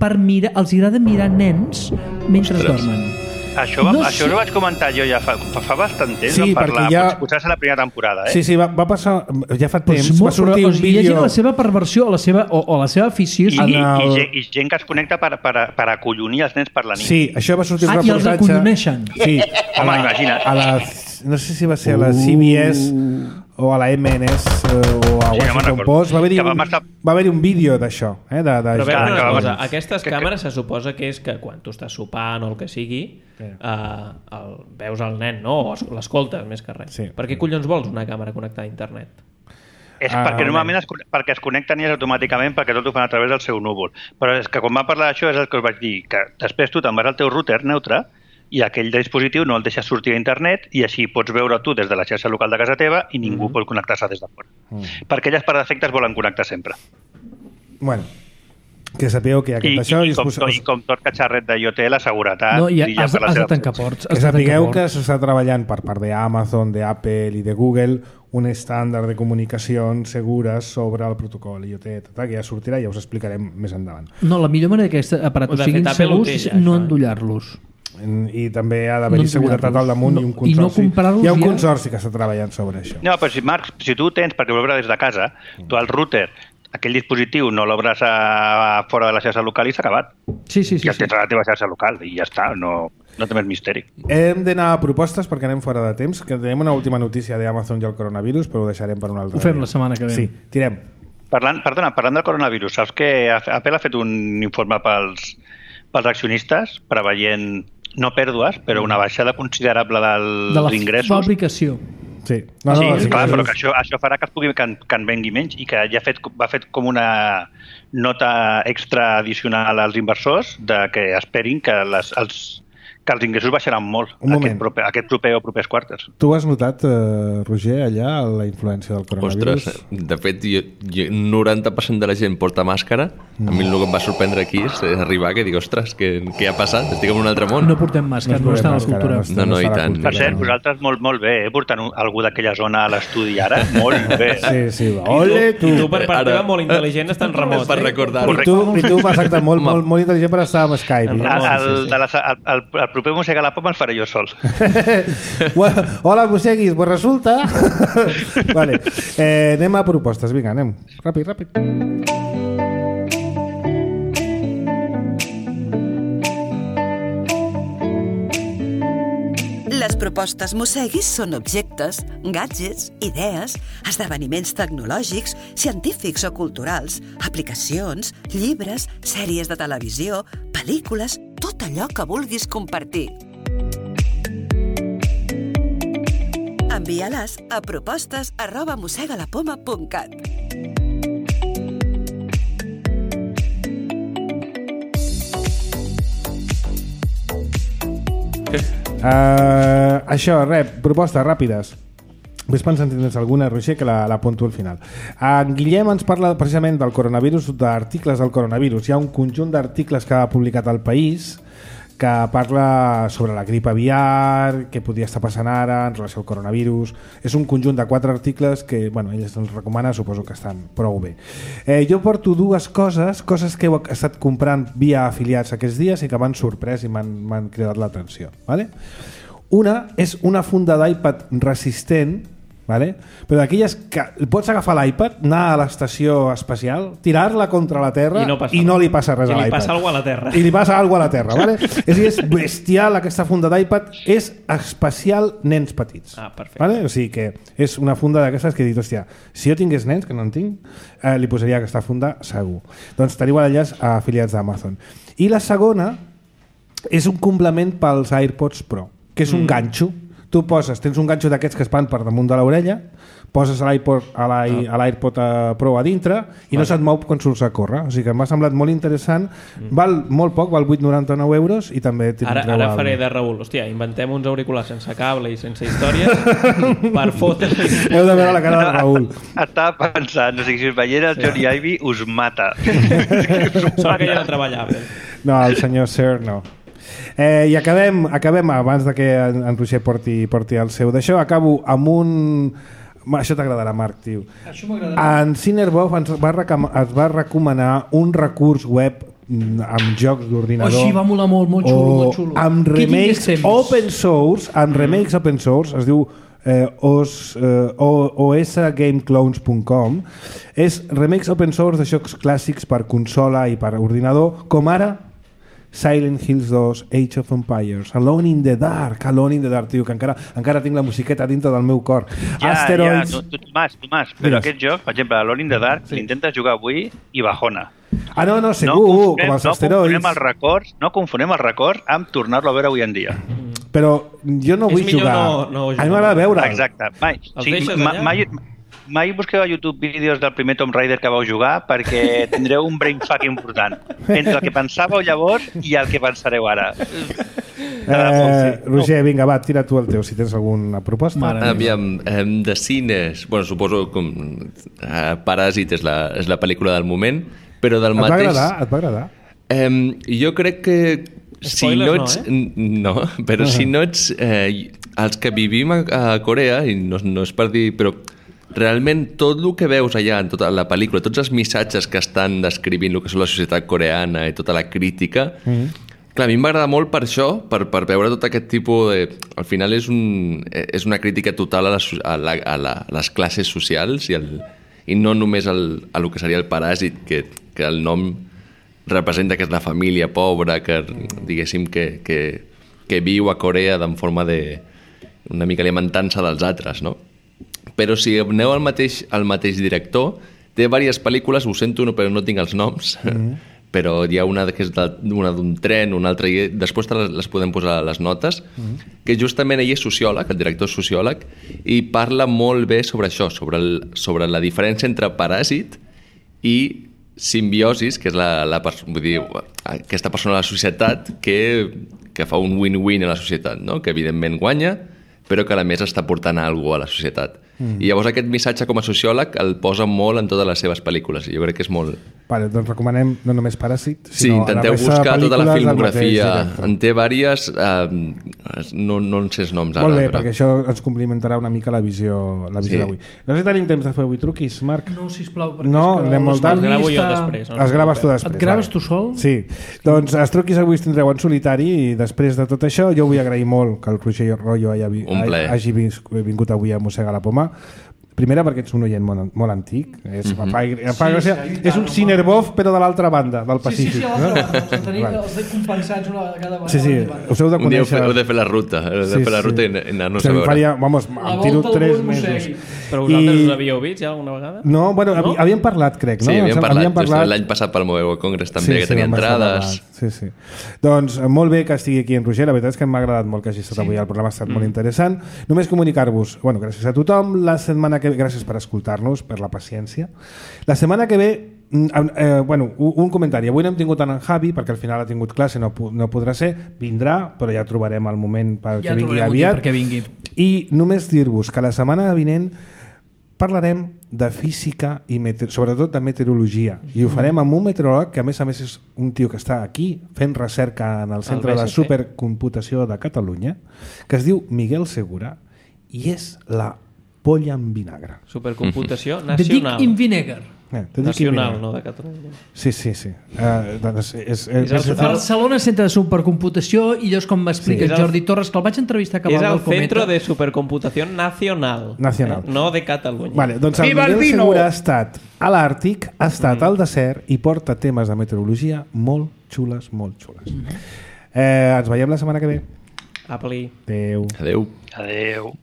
B: per mirar, els agrada mirar nens mentre dormen.
E: Això ho vaig comentar jo ja fa bastant temps,
A: sí,
E: parlar, potser és la primera temporada.
A: Sí, va passar, ja fa temps, va sortir un vídeo...
B: Hi ha gent la seva perversió o la seva afició...
E: I gent que es connecta per acollonir els nens per la nit.
A: Sí, això va sortir un
B: reportatge... I els acolloneixen.
A: Sí,
E: home, imagina't.
A: No sé si va ser a la CBS o a la MNS o a Washington Post. Va haver-hi un vídeo d'això.
D: Però veure una cosa, aquestes càmeres se suposa que és que quan tu estàs sopant o el que sigui, veus el nen, no? O l'escoltes, més que res. Per què collons vols una càmera connectada a internet?
E: És perquè normalment es connecten i és automàticament perquè tot ho fan a través del seu núvol. Però és que quan va parlar d'això és el que us vaig dir, que després tu te'n vas al teu router neutre i aquell dispositiu no el deixes sortir a internet i així pots veure tu des de la xarxa local de casa teva i ningú pot connectar-se des de fora. Perquè elles per defecte es volen connectar sempre.
A: Bueno, que sapigueu que hi ha aquest això...
E: I com tot catxarret d'IoT, la seguretat...
B: No, has de tancar ports.
A: Que sapigueu que s'està treballant per part d'Amazon, d'Apple i de Google un estàndard de comunicacions segures sobre el protocol IoT, que ja sortirà i ja us explicarem més endavant.
B: No, la millor manera que aquests aparatos siguin segurs és no endollar-los.
A: I també ha d'haver-hi seguretat al damunt i un consorci.
B: I no comprar-los
A: hi ha un consorci que està treballant sobre això.
E: No, però Marc, si tu tens, perquè ho veure des de casa, tu al router, aquell dispositiu no l'obres fora de la xarxa local i s'ha acabat.
B: Sí.
E: Ja tens a la teva xarxa local i ja està, no té més misteri.
A: Hem d'anar a propostes perquè anem fora de temps, que tenim una última notícia d'Amazon i el coronavirus, però ho deixarem per un altre dia.
B: Ho fem la setmana que ve.
A: Sí, tirem.
E: Parlant del coronavirus, saps que Apple ha fet un informe pels accionistes preveient no pèrdues, però una baixada considerable dels ingressos.
B: De la fabricació.
A: Sí,
E: clar, però que això farà que en vengui menys i que ja va fet com una nota extra addicional als inversors de que esperin que els ingressos baixaran molt aquest proper o propers quarters.
A: Tu has notat, Roger, allà la influència del coronavirus?
F: Ostres, de fet, 90% de la gent porta màscara. A mi el que em va sorprendre aquí és arribar que dic, ostres, què ha passat? Estic en un altre món.
B: No portem màscara, no està a la cultura.
F: No, i tant.
E: Per cert, vosaltres molt bé, portant algú d'aquella zona a l'estudi ara, molt bé.
A: Sí, ole, tu.
D: I tu per part teva molt intel·ligent estàs en remot.
F: Per recordar-ho.
A: I tu exacte, molt intel·ligent per estar amb Skype.
E: El proper Mossega la Poma el faré jo sol.
A: Hola, Mosseguis, pues resulta... Vale, anem a propostes, vinga, anem. Ràpid.
C: Les propostes Mosseguis són objectes, gadgets, idees, esdeveniments tecnològics, científics o culturals, aplicacions, llibres, sèries de televisió, pel·lícules, tot allò que vulguis compartir. Envia-les a propostes@mossegalapoma.cat.
A: Això, propostes ràpides. Ves pensant si tens alguna, Roger, que l'apunto al final. En Guillem ens parla precisament del coronavirus, d'articles del coronavirus. Hi ha un conjunt d'articles que ha publicat El País que parla sobre la grip aviar, què podria estar passant ara en relació al coronavirus. És un conjunt de 4 articles que, ell ens recomana, suposo que estan prou bé. Jo porto 2 coses que he estat comprant via afiliats aquests dies i que m'han sorprès i m'han cridat l'atenció. Vale? Una és una funda d'iPad resistent, vale? Però d'aquelles que pots agafar l'iPad, anar a l'estació espacial, tirar-la contra la Terra i no li passa res a l'iPad.
D: I li passa alguna a la Terra.
A: I li passa alguna a la Terra, vale? És bestial aquesta funda d'iPad, és especial nens petits.
D: Perfecte.
A: Vale? O sigui que és una funda d'aquestes que he dit, hòstia, si jo tingués nens, que no en tinc, li posaria aquesta funda segur. Doncs teniu l'enllaç a afiliats d'Amazon. I la segona és un complement pels AirPods Pro, que és un ganxo tu tens un ganxo d'aquests que es van per damunt de l'orella, poses l'AirPod Pro a dintre i no se't mou quan surts a córrer. O sigui que m'ha semblat molt interessant. Val molt poc, val 8,99 euros i també
D: ara faré de Raül. Hòstia, inventem uns auriculars sense cable i sense històries per fotre.
A: Heu de veure la cara de Raül.
E: Estava pensant, o sigui, si us veiera el Johnny Ive us mata.
D: Sona que ja no treballava.
A: No, el senyor Sir no. I acabem abans de que en Roger porti el seu d'això, acabo amb un... Això t'agradarà, Marc, tio.
B: Això m'agradarà.
A: En Cinerbov ens va recomanar un recurs web amb jocs d'ordinador.
B: Així va molar molt xulo, molt xulo.
A: Amb remakes open source, es diu osgameclones.com. És remakes open source de jocs clàssics per consola i per ordinador, com ara Silent Hills 2, Age of Empires, Alone in the Dark, tio, que encara tinc la musiqueta dintre del meu cor. Asteroids...
E: Tomàs, però aquest joc, per exemple, Alone in the Dark, l'intentes jugar avui i bajona.
A: No, segur, com els asteroids.
E: No confonem els records amb tornar-lo a veure avui en dia.
A: Però jo no vull jugar. A mi m'agrada veure'l.
E: Exacte. Mai busqueu a YouTube vídeos del primer Tomb Raider que vau jugar perquè tindreu un brainfuck important entre el que pensàveu llavors i el que pensareu ara.
A: Roger, vinga, va, tira tu el teu si tens alguna proposta.
F: Aviam, de cines, bueno, suposo que Paràsit és la pel·lícula del moment, però del mateix...
A: Et va agradar?
F: Jo crec que si no ets... No, però si no ets... Els que vivim a Corea, i no és per dir... però realment tot el que veus allà en tota la pel·lícula, tots els missatges que estan descrivint el que és la societat coreana i tota la crítica, clar, a mi m'agrada molt per això, per veure tot aquest tipus de... Al final és una crítica total a les classes socials i no només a el que seria el paràsit, que el nom representa que és la família pobra, que diguéssim que viu a Corea de forma de una mica alimentant-se dels altres, no? Però si aneu al mateix director, té diverses pel·lícules, ho sento, però no tinc els noms, però hi ha una que és una d'un tren, una altra, i després les podem posar a les notes, que justament ell és sociòleg, el director és sociòleg, i parla molt bé sobre això, sobre la diferència entre paràsit i simbiosis, que és vull dir, aquesta persona a la societat que fa un win-win a la societat, no? Que evidentment guanya, però que a més està portant alguna cosa a la societat. I llavors aquest missatge com a sociòleg el posa molt en totes les seves pel·lícules i jo crec que és molt...
A: Vale, doncs recomanem no només Paràsit,
F: sinó... Sí, intenteu buscar tota la filmografia. En té diverses, no en sé els noms ara.
A: Molt bé, perquè això ens complementarà una mica la visió d'avui. No sé si tenim temps de fer avui truquis, Marc?
B: No, sisplau.
A: No, anem molt tard.
D: Els gravo jo després.
A: Els graves tu després.
B: Et graves tu sol?
A: Sí. Doncs els truquis avui els tindreu en solitari i després de tot això jo vull agrair molt que el Roger Royo hagi vingut avui a mossegar la poma. Primera perquè ets un oient molt antic, és un Cinerbov però de l'altra banda del Pacífic.
B: Sí, els tenim els compensats una cada vegada.
A: Sí, us heu de conèixer.
F: Heu de fer la ruta, i anar-nos a veure.
A: Vamos, em tiro 3 mesos.
D: Però vosaltres us havíeu vist ja alguna vegada?
A: No, bueno, havíem parlat, crec, no?
F: Sí, havíem parlat l'any passat pel Mobile Congress també, que tenia entrades.
A: Sí. Doncs molt bé que estigui aquí en Roger, la veritat és que m'ha agradat molt que hagi estat avui, el programa ha estat molt interessant. Només comunicar-vos, gràcies a tothom, la setmana que ve, gràcies per escoltar-nos, per la paciència. La setmana que ve, un comentari. Avui no hem tingut en Javi, perquè al final ha tingut classe, no podrà ser, vindrà, però ja trobarem el moment perquè vingui aviat. I només dir-vos que la setmana vinent parlarem de física i sobretot de meteorologia, i ho farem amb un meteoròleg que a més és un tio que està aquí fent recerca en el Centre de Supercomputació de Catalunya, que es diu Miguel Segura, i és la polla en vinagre.
D: Supercomputació
B: nacional. The Dick in Vinegar.
D: Nacional, no de Catalunya.
A: Sí.
B: Barcelona, Centre de Supercomputació, i llavors com m'explica Jordi Torres, que el vaig entrevistar
D: és el Centro de Supercomputació Nacional. No de Catalunya.
A: Vale, doncs el Miguel Segura ha estat a l'Àrtic, ha estat al desert i porta temes de meteorologia molt xules. Ens veiem la setmana que ve.
D: Apli.
A: Adéu.
F: Adéu.
E: Adéu.